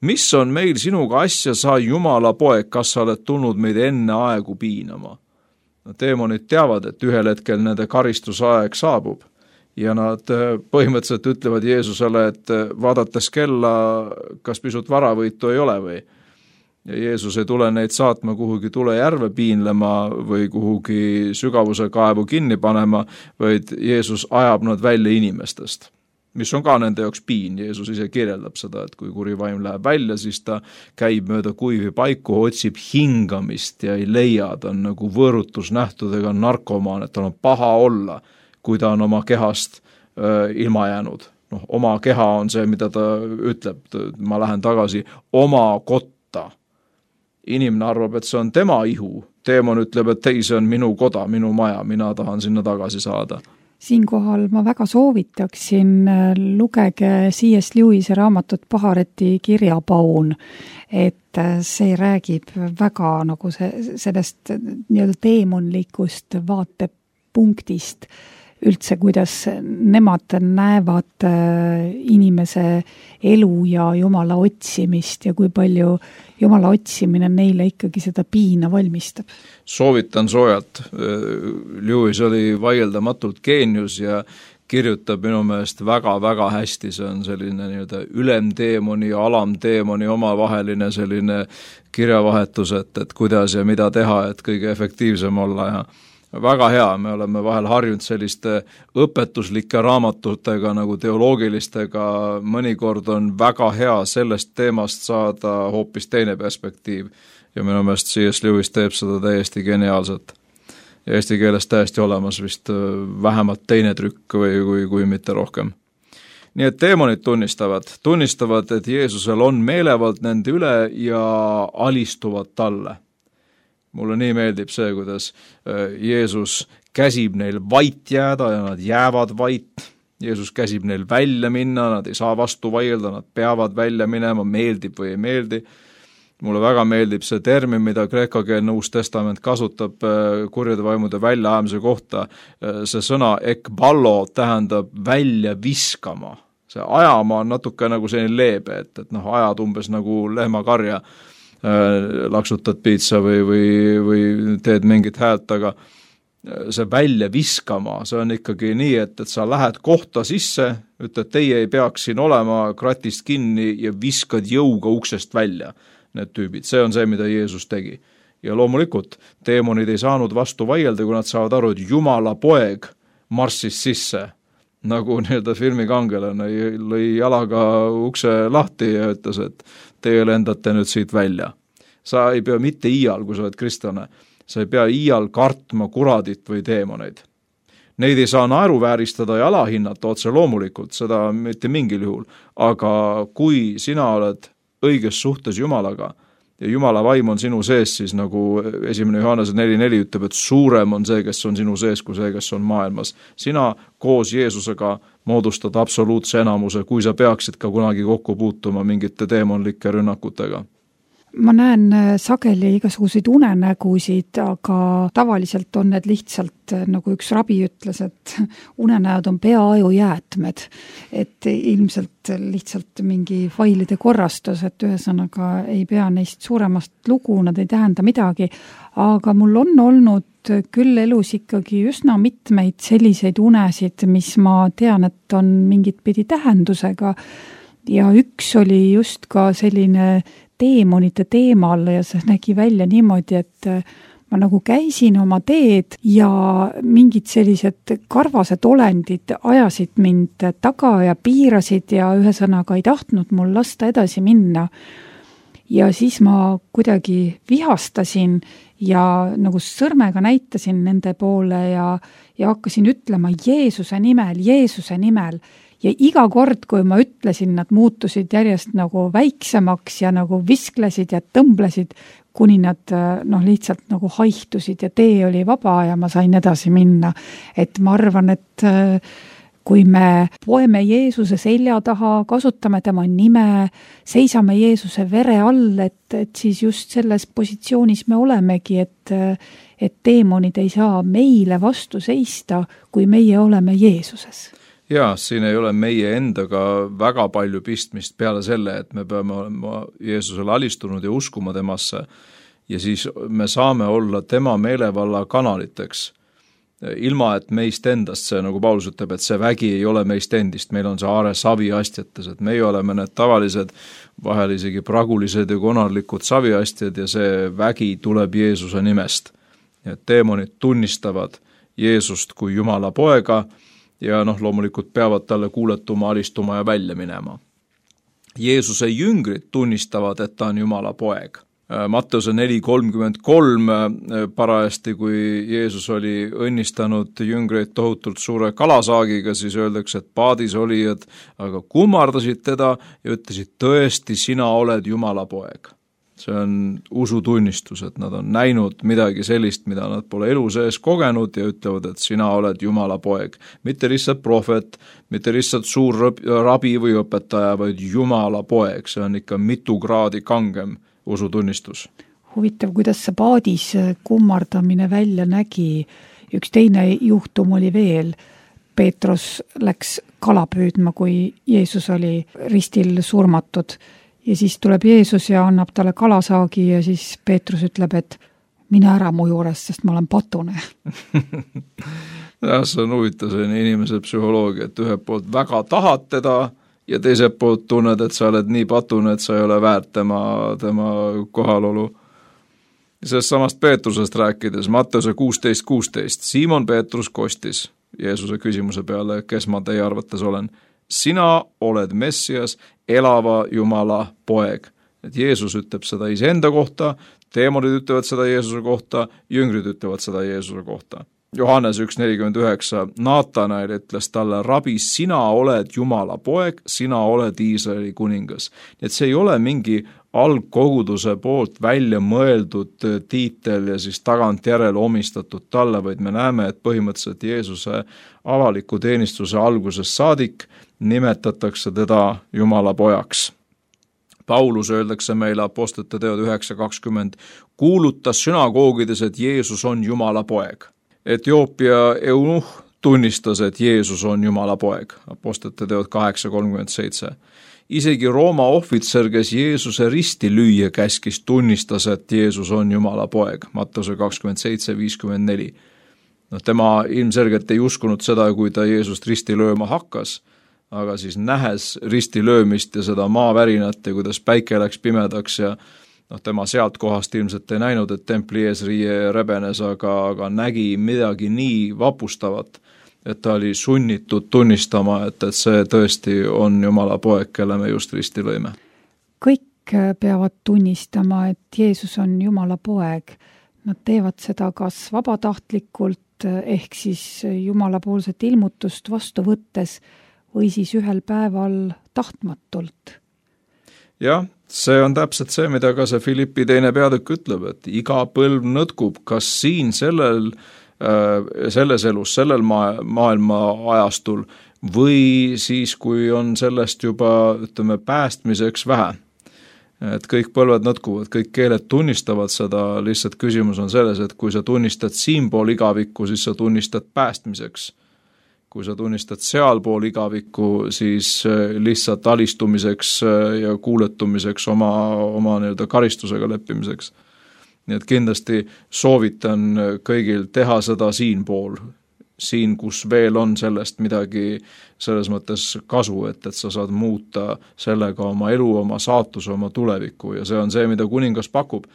Mis on meil sinuga asja, sa Jumala poeg, kas sa oled tulnud meid enne aegu piinama? Teemonid teavad, et ühel hetkel nende karistusaeg saabub ja nad põhimõtteliselt ütlevad Jeesusele, et vaadates kella, kas pisut varavõitu ei ole või. ja Jeesus ei tule neid saatma kuhugi tulejärve piinlema või kuhugi sügavuse kaevu kinni panema, vaid Jeesus ajab nad välja inimestest, mis on ka nende jaoks piin. Jeesus ise kirjeldab seda, et kui kuri vaim läheb välja, siis ta käib mööda kuivi paiku, otsib hingamist ja ei leia, ta on nagu võõrutusnähtudega narkomaan, et tal on paha olla, kui ta on oma kehast ilma jäänud. Oma keha on see, mida ta ütleb, ma lähen tagasi oma kotta. Inimene arvab, et see on tema ihu, teemon ütleb, et ei, see on minu koda, minu maja, mina tahan sinna tagasi saada. Siinkohal ma väga soovitaksin, lugege C.S. Lewise raamatut Pahareti kirjapaun, et see räägib väga nagu sellest nii-öelda teemonlikust vaatepunktist üldse, kuidas nemad näevad inimese elu ja Jumala otsimist ja kui palju Jumala otsimine neile ikkagi seda piina valmistab. Soovitan soojalt. Lewis oli vaieldamatult geenius ja kirjutab minu meelest väga-väga hästi, see on selline nii-öelda ülemteemoni ja alamteemoni omavaheline selline kirjavahetus, et kuidas ja mida teha, et kõige efektiivsem olla ja väga hea, me oleme vahel harjunud selliste õpetuslike raamatutega nagu teoloogilistega, mõnikord on väga hea sellest teemast saada hoopis teine perspektiiv ja minu meelest C.S. Lewis teeb seda täiesti geniaalselt. Ja eesti keeles täiesti olemas vist vähemalt teine trükk kui mitte rohkem. Nii et teemonid tunnistavad, et Jeesusel on meelevald nende üle ja alistuvad talle. Mulle nii meeldib see, kuidas Jeesus käsib neil vait jääda ja nad jäävad vait. Jeesus käsib neil välja minna, nad ei saa vastu vaielda, nad peavad välja minema, meeldib või ei meeldi. Mulle väga meeldib see termin, mida kreekakeelne Uus Testament kasutab kurjade vaimude väljaajamise kohta. See sõna ekballo tähendab välja viskama. See ajama on natuke nagu selline leebe, et ajad umbes nagu lehmakarja, laksutad piitsa või teed mingit häält, aga see välja viskama, see on ikkagi nii, et sa lähed kohta sisse, ütled, teie ei peaks siin olema, kratist kinni ja viskad jõuga uksest välja need tüübid. See on see, mida Jeesus tegi. Ja loomulikult teemonid ei saanud vastu vaielda, kui nad saavad aru, et Jumala poeg marssis sisse, nagu nii-öelda filmikangelane lõi jalaga ukse lahti ja ütles, et teie lendate nüüd siit välja. Sa ei pea mitte iial, kui sa oled kristlane, sa ei pea iial kartma kuradit või teemoneid. Neid ei saa naeruvääristada ja alahinnata otse loomulikult, seda mitte mingil juhul, aga kui sina oled õiges suhtes Jumalaga ja Jumala vaim on sinu sees, siis nagu 1. Johannese 4.4 ütleb, et suurem on see, kes on sinu sees, kui see, kes on maailmas. Sina koos Jeesusega moodustad absoluutse enamuse, kui sa peaksid ka kunagi kokku puutuma mingite teemonlike rünnakutega. Ma näen sageli igasuguseid unenägusid, aga tavaliselt on need lihtsalt, nagu üks rabi ütles, et unenäod on peaaju jäätmed, et ilmselt lihtsalt mingi failide korrastus, et ühesõnaga ei pea neist suuremast lugu, nad ei tähenda midagi, aga mul on olnud küll elus ikkagi üsna mitmeid selliseid unesid, mis ma tean, et on mingit pidi tähendusega ja üks oli just ka selline teemonite teemal ja see nägi välja niimoodi, et ma nagu käisin oma teed ja mingid sellised karvased olendid ajasid mind taga ja piirasid ja ühesõnaga ei tahtnud mul lasta edasi minna. Ja siis ma kuidagi vihastasin ja nagu sõrmega näitasin nende poole ja hakkasin ütlema Jeesuse nimel. Ja iga kord, kui ma ütlesin, nad muutusid järjest nagu väiksemaks ja nagu visklesid ja tõmblesid, kuni nad lihtsalt nagu haihtusid ja tee oli vaba ja ma sain edasi minna. Et ma arvan, et kui me poeme Jeesuse selja taha, kasutame tema nime, seisame Jeesuse vere all, et siis just selles positsioonis me olemegi, et teemonid ei saa meile vastu seista, kui meie oleme Jeesuses. Jaa, siin ei ole meie endaga väga palju pistmist peale selle, et me peame olema Jeesusele alistunud ja uskuma temasse ja siis me saame olla tema meelevalla kanaliteks. ilma et meist endast, see nagu Paulus ütleb, et see vägi ei ole meist endist, meil on see aare saviastjates, et meie oleme need tavalised, vahel isegi pragulised ja konarlikud saviastjad ja see vägi tuleb Jeesuse nimest. Ja teemonid tunnistavad Jeesust kui Jumala poega ja loomulikult peavad talle kuuletuma, alistuma ja välja minema. Jeesuse jüngrid tunnistavad, et ta on Jumala poeg. Matteuse 4:33 parajasti, kui Jeesus oli õnnistanud jüngreid tohutult suure kalasaagiga, siis öeldakse, et paadis olijad aga kummardasid teda ja ütlesid, tõesti, sina oled Jumala poeg. See on usutunnistus, et nad on näinud midagi sellist, mida nad pole elu sees kogenud ja ütlevad, et sina oled Jumala poeg. Mitte lihtsalt prohvet, mitte lihtsalt suur rabi või õpetaja, vaid Jumala poeg. See on ikka mitu kraadi kangem usutunnistus. Huvitav, kuidas see paadis kummardamine välja nägi. Üks teine juhtum oli veel. Peetrus läks kala püüdma, kui Jeesus oli ristil surmatud. Ja siis tuleb Jeesus ja annab talle kalasaagi ja siis Peetrus ütleb, et mine ära mu juurest, sest ma olen patune. Ja, see on huvitav selline inimese psühholoogia, et ühelt poolt väga tahad teda ja teiselt poolt tunned, et sa oled nii patune, et sa ei ole väärt tema kohalolu. Sellest samast Peetrusest rääkides, Matteuse 16:16, Siimon Peetrus kostis Jeesuse küsimuse peale, kes ma teie arvates olen. Sina oled Messias, elava Jumala poeg. Et Jeesus ütleb seda iseenda kohta, teemonid ütlevad seda Jeesuse kohta, jüngrid ütlevad seda Jeesuse kohta. Johannes 1:49, Naatanael ütles talle, rabi, sina oled Jumala poeg, sina oled Iisraeli kuningas. Et see ei ole mingi algkoguduse poolt välja mõeldud tiitel ja siis tagantjärele omistatud talle, vaid me näeme, et põhimõtteliselt Jeesuse avaliku teenistuse algusest saadik nimetatakse teda Jumala pojaks. Paulus öeldakse meile Apostlite teod 9:20, kuulutas sünagoogides, et Jeesus on Jumala poeg. Etioopia eunuh tunnistas, et Jeesus on Jumala poeg. Apostlite teod 8:37. Isegi Rooma ohvitser, kes Jeesuse risti lüüa käskis, tunnistas, et Jeesus on Jumala poeg. Matteuse 27:54. Tema ilmselgelt ei uskunud seda, kui ta Jeesust risti lööma hakkas, aga siis nähes risti löömist ja seda maavärinat ja kuidas päike läks pimedaks ja tema sealt kohast ilmselt ei näinud, et templi eesriie rebenes, aga nägi midagi nii vapustavat, et ta oli sunnitud tunnistama, et see tõesti on Jumala poeg, kelle me just risti lõime. Kõik peavad tunnistama, et Jeesus on Jumala poeg. Nad teevad seda kas vabatahtlikult ehk siis Jumala poolset ilmutust vastu võttes või siis ühel päeval tahtmatult. Jah, see on täpselt see, mida ka see Filippi 2. peatükk ütleb, et iga põlv nõtkub, kas siin selles elus, sellel maailma ajastul või siis, kui on sellest juba, päästmiseks vähe. Et kõik põlved nõtkuvad, kõik keeled tunnistavad seda, lihtsalt küsimus on selles, et kui sa tunnistad siinpool igavikku, siis sa tunnistad päästmiseks. Kui sa tunnistad sealpool igavikku, siis lihtsalt alistumiseks ja kuuletumiseks oma karistusega leppimiseks. Nii et kindlasti soovitan kõigil teha seda siinpool, siin, kus veel on sellest midagi selles mõttes kasu, et sa saad muuta sellega oma elu, oma saatuse, oma tulevikku ja see on see, mida kuningas pakub.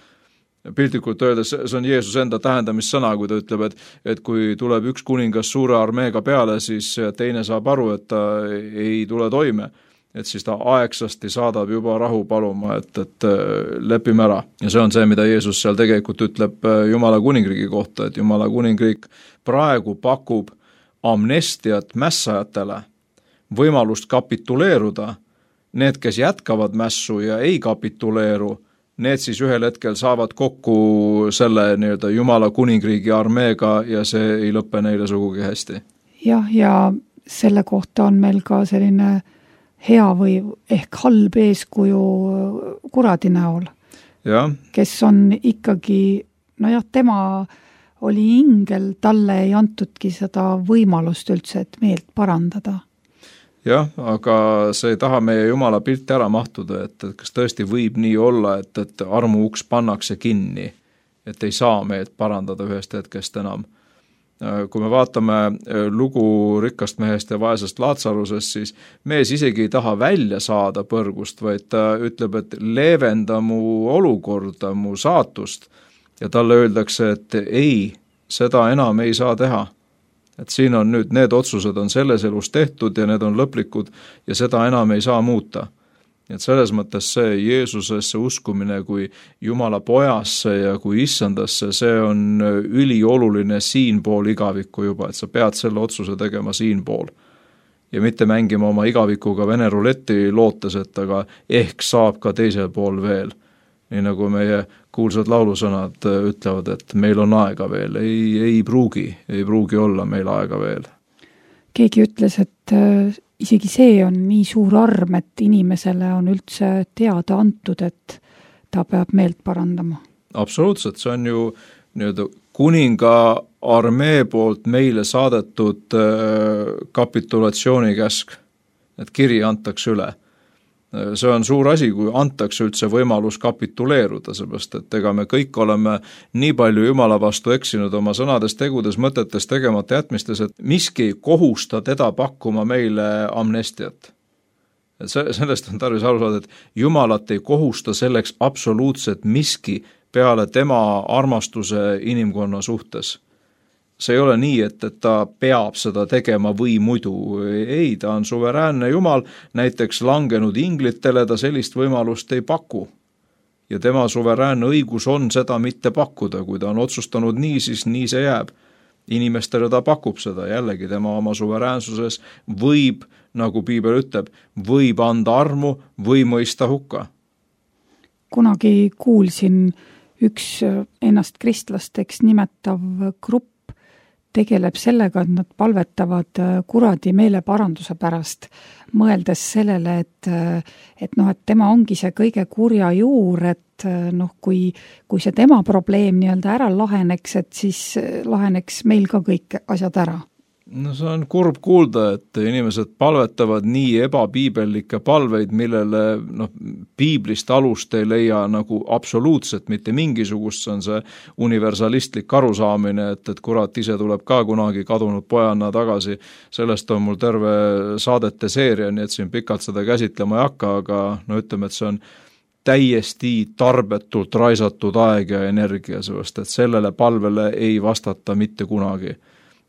Piltlikult öeldes, see on Jeesus enda tähendamissõna, kui ta ütleb, et kui tuleb üks kuningas suure armeega peale, siis teine saab aru, et ta ei tule toime. Et siis ta aegsasti saadab juba rahu paluma, et lepime ära. Ja see on see, mida Jeesus seal tegelikult ütleb Jumala kuningriigi kohta, et Jumala kuningriik praegu pakub amnestiat mässajatele, võimalust kapituleeruda. Need, kes jätkavad mässu ja ei kapituleeru, need siis ühel hetkel saavad kokku selle Jumala kuningriigi armeega ja see ei lõppe neile sugugi hästi. Jah, ja selle kohta on meil ka selline hea või ehk halb eeskuju kuradi näol, kes on ikkagi, tema oli ingel, talle ei antudki seda võimalust üldse, et meelt parandada. Jah, aga see ei taha meie Jumala pilti ära mahtuda, et kas tõesti võib nii olla, et armu uks pannakse kinni, et ei saa meelt parandada ühest hetkest enam. Kui me vaatame lugu rikkast mehest ja vaesest Laatsarusest, siis mees isegi ei taha välja saada põrgust, vaid ta ütleb, et leevenda mu olukorda, mu saatust. Ja talle öeldakse, et ei, seda enam ei saa teha. Et siin on nüüd, need otsused on selles elus tehtud ja need on lõplikud ja seda enam ei saa muuta. Et selles mõttes see Jeesusesse uskumine kui Jumala pojasse ja kui issandasse, see on ülioluline siinpool igavikku juba, et sa pead selle otsuse tegema siinpool. Ja mitte mängima oma igavikuga Vene ruletti lootes, et aga ehk saab ka teisel pool veel. Nii nagu meie kuulsad laulusõnad ütlevad, et meil on aega veel, ei pruugi olla meil aega veel. Keegi ütles, et isegi see on nii suur arm, et inimesele on üldse teada antud, et ta peab meelt parandama. Absoluutselt, see on ju kuninga armee poolt meile saadetud kapitulatsioonikäsk, et kiri antakse üle. See on suur asi, kui antakse üldse võimalus kapituleeruda, seepärast, et ega me kõik oleme nii palju Jumala vastu eksinud oma sõnades, tegudes, mõtetes, tegemata jätmistes, et miski ei kohusta teda pakkuma meile amnestiat. Et sellest on tarvis aru saada, et Jumalat ei kohusta selleks absoluutselt miski peale tema armastuse inimkonna suhtes. See ei ole nii, et ta peab seda tegema või muidu. Ei, ta on suveräänne Jumal, näiteks langenud inglitele ta sellist võimalust ei paku. Ja tema suveräänne õigus on seda mitte pakkuda, kui ta on otsustanud nii, siis nii see jääb. Inimestele ta pakub seda, jällegi tema oma suveräänsuses võib, nagu Piibel ütleb, võib anda armu või mõista hukka. Kunagi kuulsin üks ennast kristlasteks nimetav grupp tegeleb sellega, et nad palvetavad kuradi meeleparanduse pärast, mõeldes sellele, et tema ongi see kõige kurja juur, et kui see tema probleem nii-öelda ära laheneks, et siis laheneks meil ka kõik asjad ära. No see on kurb kuulda, et inimesed palvetavad nii ebapiibellikke palveid, millele piiblist alust ei leia nagu absoluutselt mitte mingisugust, see on see universalistlik arusaamine, et kurat ise tuleb ka kunagi kadunud pojanna tagasi. Sellest on mul terve saadete seeria, nii et siin pikalt seda käsitlema ei hakka, aga ütleme, et see on täiesti tarbetult raisatud aeg ja energia, sest et sellele palvele ei vastata mitte kunagi.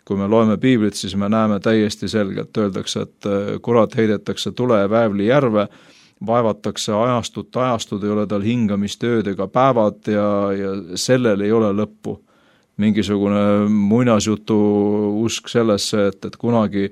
Kui me loeme piiblit, siis me näeme täiesti selgelt, öeldakse, et kurat heidetakse tule ja väävli järve, vaevatakse ajastud, ei ole tal hingamist ööd ega päevad ja sellel ei ole lõppu. Mingisugune muinasjutu usk sellesse, et kunagi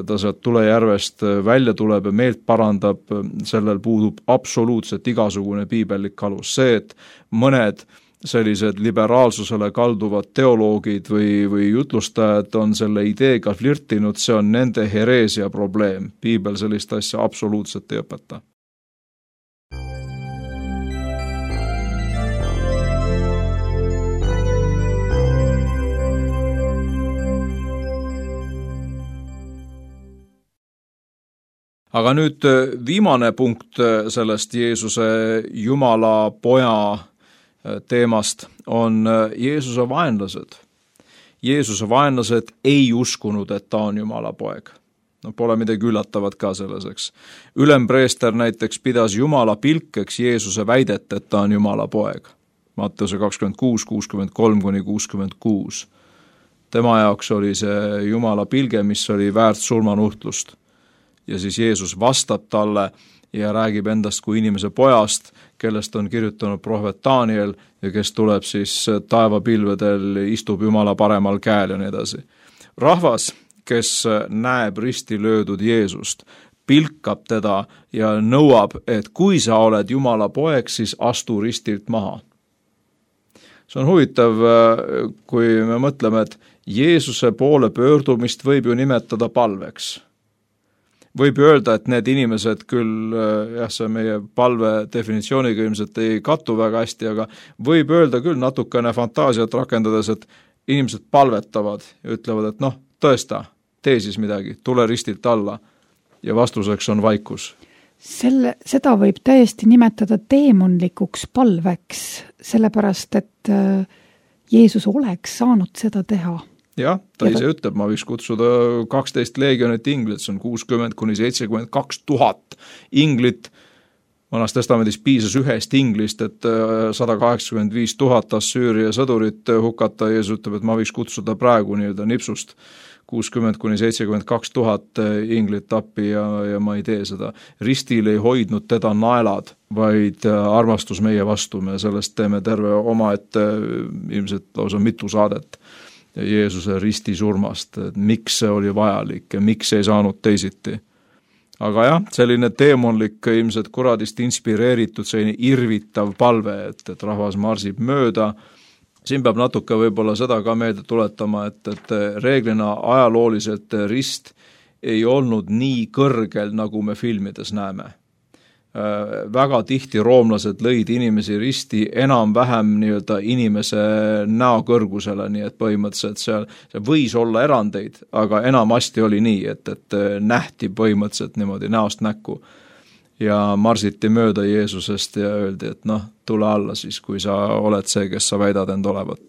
ta sealt tulejärvest välja tuleb ja meelt parandab, sellel puudub absoluutselt igasugune piibellik alus. See, et mõned sellised liberaalsusele kalduvad teoloogid või jutlustajad on selle ideega flirtinud, see on nende hereesia probleem. Piibel sellist asja absoluutselt ei õpeta. Aga nüüd viimane punkt sellest Jeesuse Jumala poja teemast on Jeesuse vaenlased. Jeesuse vaenlased ei uskunud, et ta on Jumala poeg. Pole midagi üllatavat ka selleseks. Ülempreester näiteks pidas Jumala pilkeks Jeesuse väidet, et ta on Jumala poeg. Matteuse 26, 63-66. Tema jaoks oli see Jumala pilge, mis oli väärt surmanuhtlust. Ja siis Jeesus vastab talle ja räägib endast kui inimese pojast, kellest on kirjutanud prohvet Daniel ja kes tuleb siis taevapilvedel, istub Jumala paremal käel ja nii edasi. Rahvas, kes näeb risti löödud Jeesust, pilkab teda ja nõuab, et kui sa oled Jumala poeg, siis astu ristilt maha. See on huvitav, kui me mõtleme, et Jeesuse poole pöördumist võib ju nimetada palveks. Võib öelda, et need inimesed küll, see meie palve definitsiooniga ilmselt ei kattu väga hästi, aga võib öelda küll natukene fantaasiat rakendades, et inimesed palvetavad ja ütlevad, et tõesta, tee siis midagi, tule ristilt alla ja vastuseks on vaikus. Seda võib täiesti nimetada teemonlikuks palveks, sellepärast, et Jeesus oleks saanud seda teha. Jah, ta ise ütleb, ma võiks kutsuda 12 leegionit inglit, see on 60,000–72 000 inglit. Vanas testamendis piisas ühest inglist, et 185 000 Assüüria sõdurit hukata. Jeesus ütleb, et ma võiks kutsuda praegu nii-öelda nipsust 60,000–72 000 inglit appi ja ma ei tee seda. Ristil ei hoidnud teda naelad, vaid armastus meie vastu. Me sellest teeme terve omaette ilmselt lausa mitu saadet Jeesuse risti surmast, et miks see oli vajalik ja miks ei saanud teisiti. Aga jah, selline teemonlik, ilmselt kuradist inspireeritud, selline irvitav palve, et rahvas marsib mööda. Siin peab natuke võib-olla seda ka meelde tuletama, et reeglina ajalooliselt rist ei olnud nii kõrgel, nagu me filmides näeme. Väga tihti roomlased lõid inimesi risti enam-vähem nii-öelda inimese näokõrgusele, nii et põhimõtteliselt see võis olla erandeid, aga enamasti oli nii, et nähti põhimõtteliselt niimoodi näost näkku ja marsiti mööda Jeesusest ja öeldi, et tule alla siis, kui sa oled see, kes sa väidad end olevat.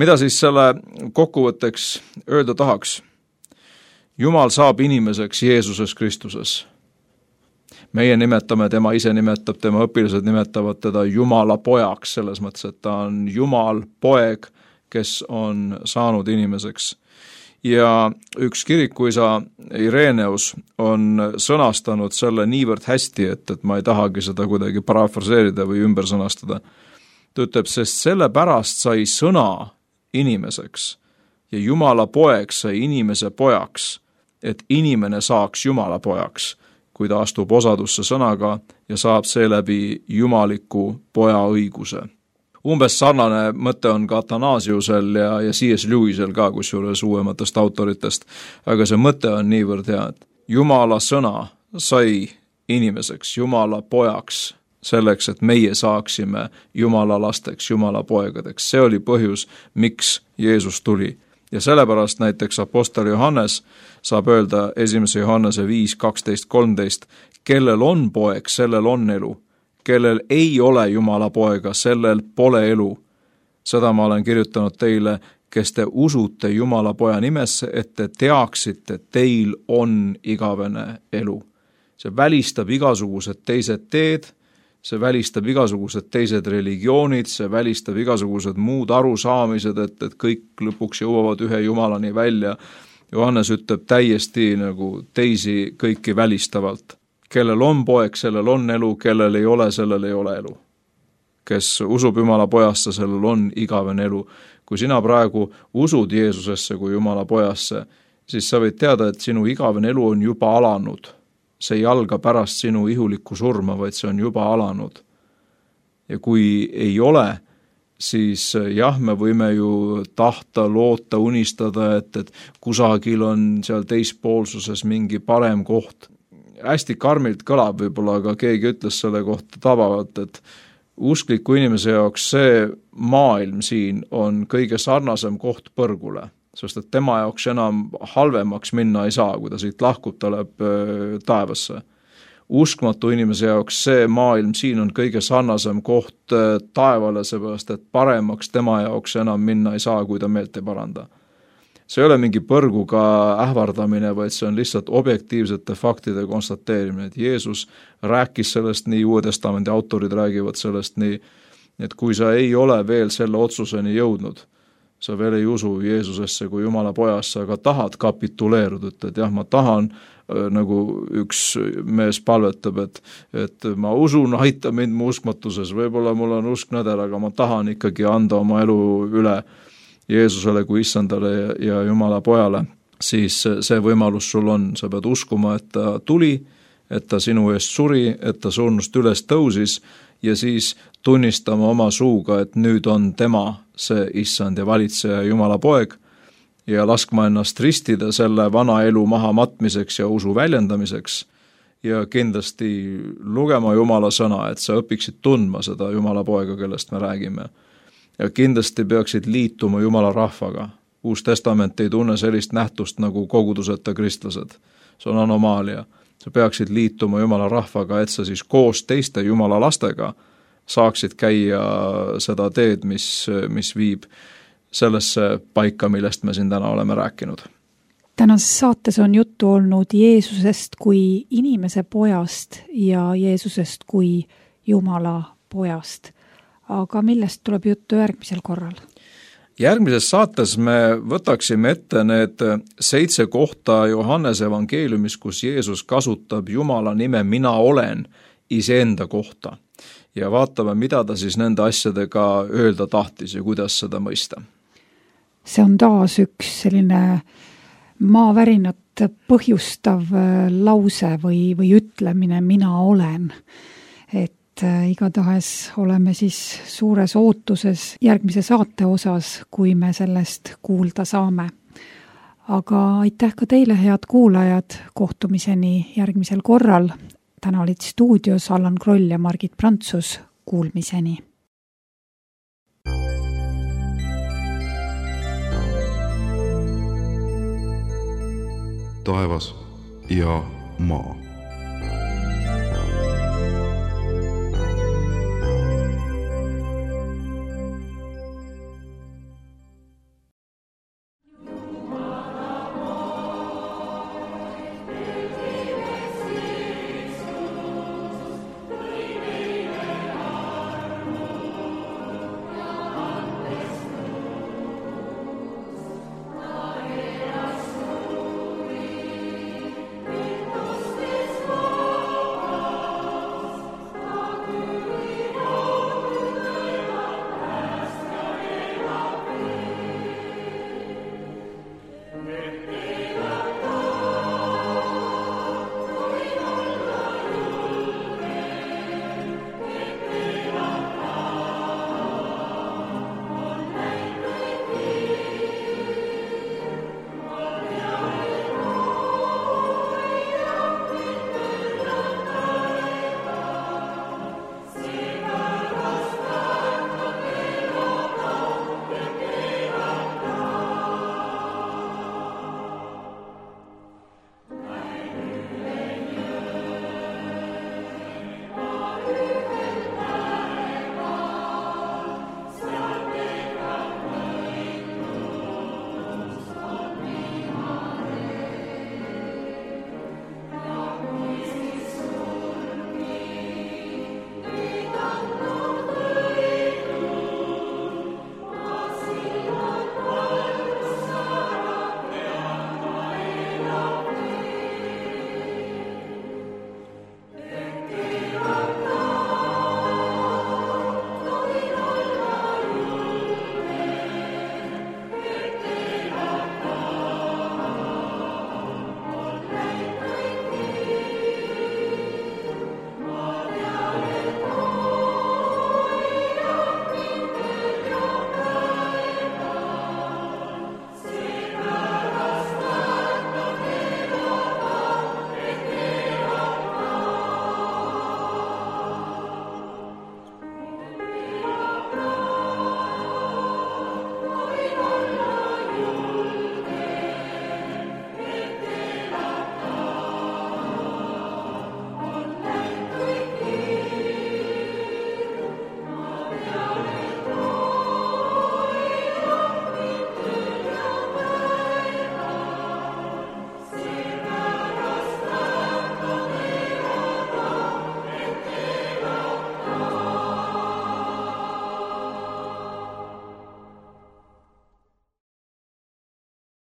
Mida siis selle kokkuvõtteks öelda tahaks? Jumal saab inimeseks Jeesuses Kristuses. Meie nimetame, tema ise nimetab, tema õpilased nimetavad teda Jumala pojaks, selles mõttes, et ta on Jumal poeg, kes on saanud inimeseks. Ja üks kirikuisa Ireneus on sõnastanud selle niivõrd hästi, et ma ei tahagi seda kuidagi parafraseerida või ümber sõnastada. Ta ütleb, sest selle pärast sai sõna inimeseks ja Jumala poeg sai inimese pojaks, et inimene saaks Jumala pojaks, kui ta astub osadusse sõnaga ja saab seeläbi jumaliku poja õiguse. Umbes sarnane mõte on ka Athanasiusel ja C.S. Lewisel ka, kusjuures uuematest autoritest, aga see mõte on niivõrd hea, et Jumala sõna sai inimeseks, Jumala pojaks, selleks, et meie saaksime Jumala lasteks, Jumala poegadeks. See oli põhjus, miks Jeesus tuli. Ja sellepärast näiteks apostel Johannes saab öelda 1. Johannese 5, 12, 13, kellel on poeg, sellel on elu. Kellel ei ole Jumala poega, sellel pole elu. Seda ma olen kirjutanud teile, kes te usute Jumala poja nimesse, et te teaksite, teil on igavene elu. See välistab igasugused teised teed, see välistab igasugused teised religioonid, see välistab igasugused muud arusaamised, et kõik lõpuks jõuavad ühe Jumalani välja. Johannes ütleb täiesti nagu teisi kõiki välistavalt. Kellel on poeg, sellel on elu, kellel ei ole, sellel ei ole elu. Kes usub Jumala pojasse, sellel on igavene elu. Kui sina praegu usud Jeesusesse kui Jumala pojasse, siis sa võid teada, et sinu igavene elu on juba alanud. See ei alga pärast sinu ihulikku surma, vaid see on juba alanud. Ja kui ei ole, siis jah, me võime ju tahta, loota, unistada, et kusagil on seal teispoolsuses mingi parem koht. Hästi karmilt kõlab võib-olla, aga keegi ütles selle kohta tabavalt, et uskliku inimese jaoks see maailm siin on kõige sarnasem koht põrgule. Sest et tema jaoks enam halvemaks minna ei saa, kui ta siit lahkub, ta läheb taevasse. Uskmatu inimese jaoks see maailm siin on kõige sarnasem koht taevale, seepärast, et paremaks tema jaoks enam minna ei saa, kui ta meelt ei paranda. See ei ole mingi põrguga ähvardamine, vaid see on lihtsalt objektiivsete faktide konstateerimine, et Jeesus rääkis sellest nii, Uue Testamendi autorid räägivad sellest nii, et kui sa ei ole veel selle otsuseni jõudnud, sa veel ei usu Jeesusesse kui Jumala pojasse, aga tahad kapituleeruda, et jah, ma tahan, nagu üks mees palvetab, et ma usun, aita mind mu uskmatuses, võib-olla mul on usk nõder, aga ma tahan ikkagi anda oma elu üle Jeesusele kui issandale ja Jumala pojale, siis see võimalus sul on, sa pead uskuma, et ta tuli, et ta sinu eest suri, et ta surnust üles tõusis ja siis tunnistama oma suuga, et nüüd on tema see issand ja valitseja Jumala poeg ja laskma ennast ristida selle vana elu maha matmiseks ja usu väljendamiseks ja kindlasti lugema Jumala sõna, et sa õpiksid tundma seda Jumala poega, kellest me räägime. Ja kindlasti peaksid liituma Jumala rahvaga. Uus testament ei tunne sellist nähtust nagu koguduseta kristlased. See on anomaalia. Sa peaksid liituma Jumala rahvaga, et sa siis koos teiste Jumala lastega saaksid käia seda teed, mis viib sellesse paika, millest me siin täna oleme rääkinud. Tänases saates on juttu olnud Jeesusest kui inimese pojast ja Jeesusest kui Jumala pojast. Aga millest tuleb juttu järgmisel korral? Järgmises saates me võtaksime ette need 7 kohta Johannese evangeeliumis, kus Jeesus kasutab Jumala nime mina olen iseenda kohta ja vaatame, mida ta siis nende asjadega öelda tahtis ja kuidas seda mõista. See on taas üks selline maavärinat põhjustav lause või ütlemine mina olen, et igatahes oleme siis suures ootuses järgmise saate osas, kui me sellest kuulda saame. Aga aitäh ka teile, head kuulajad, kohtumiseni järgmisel korral. Täna olid stuudios Allan Kroll ja Margit Prantsus. Kuulmiseni. Taevas ja maa.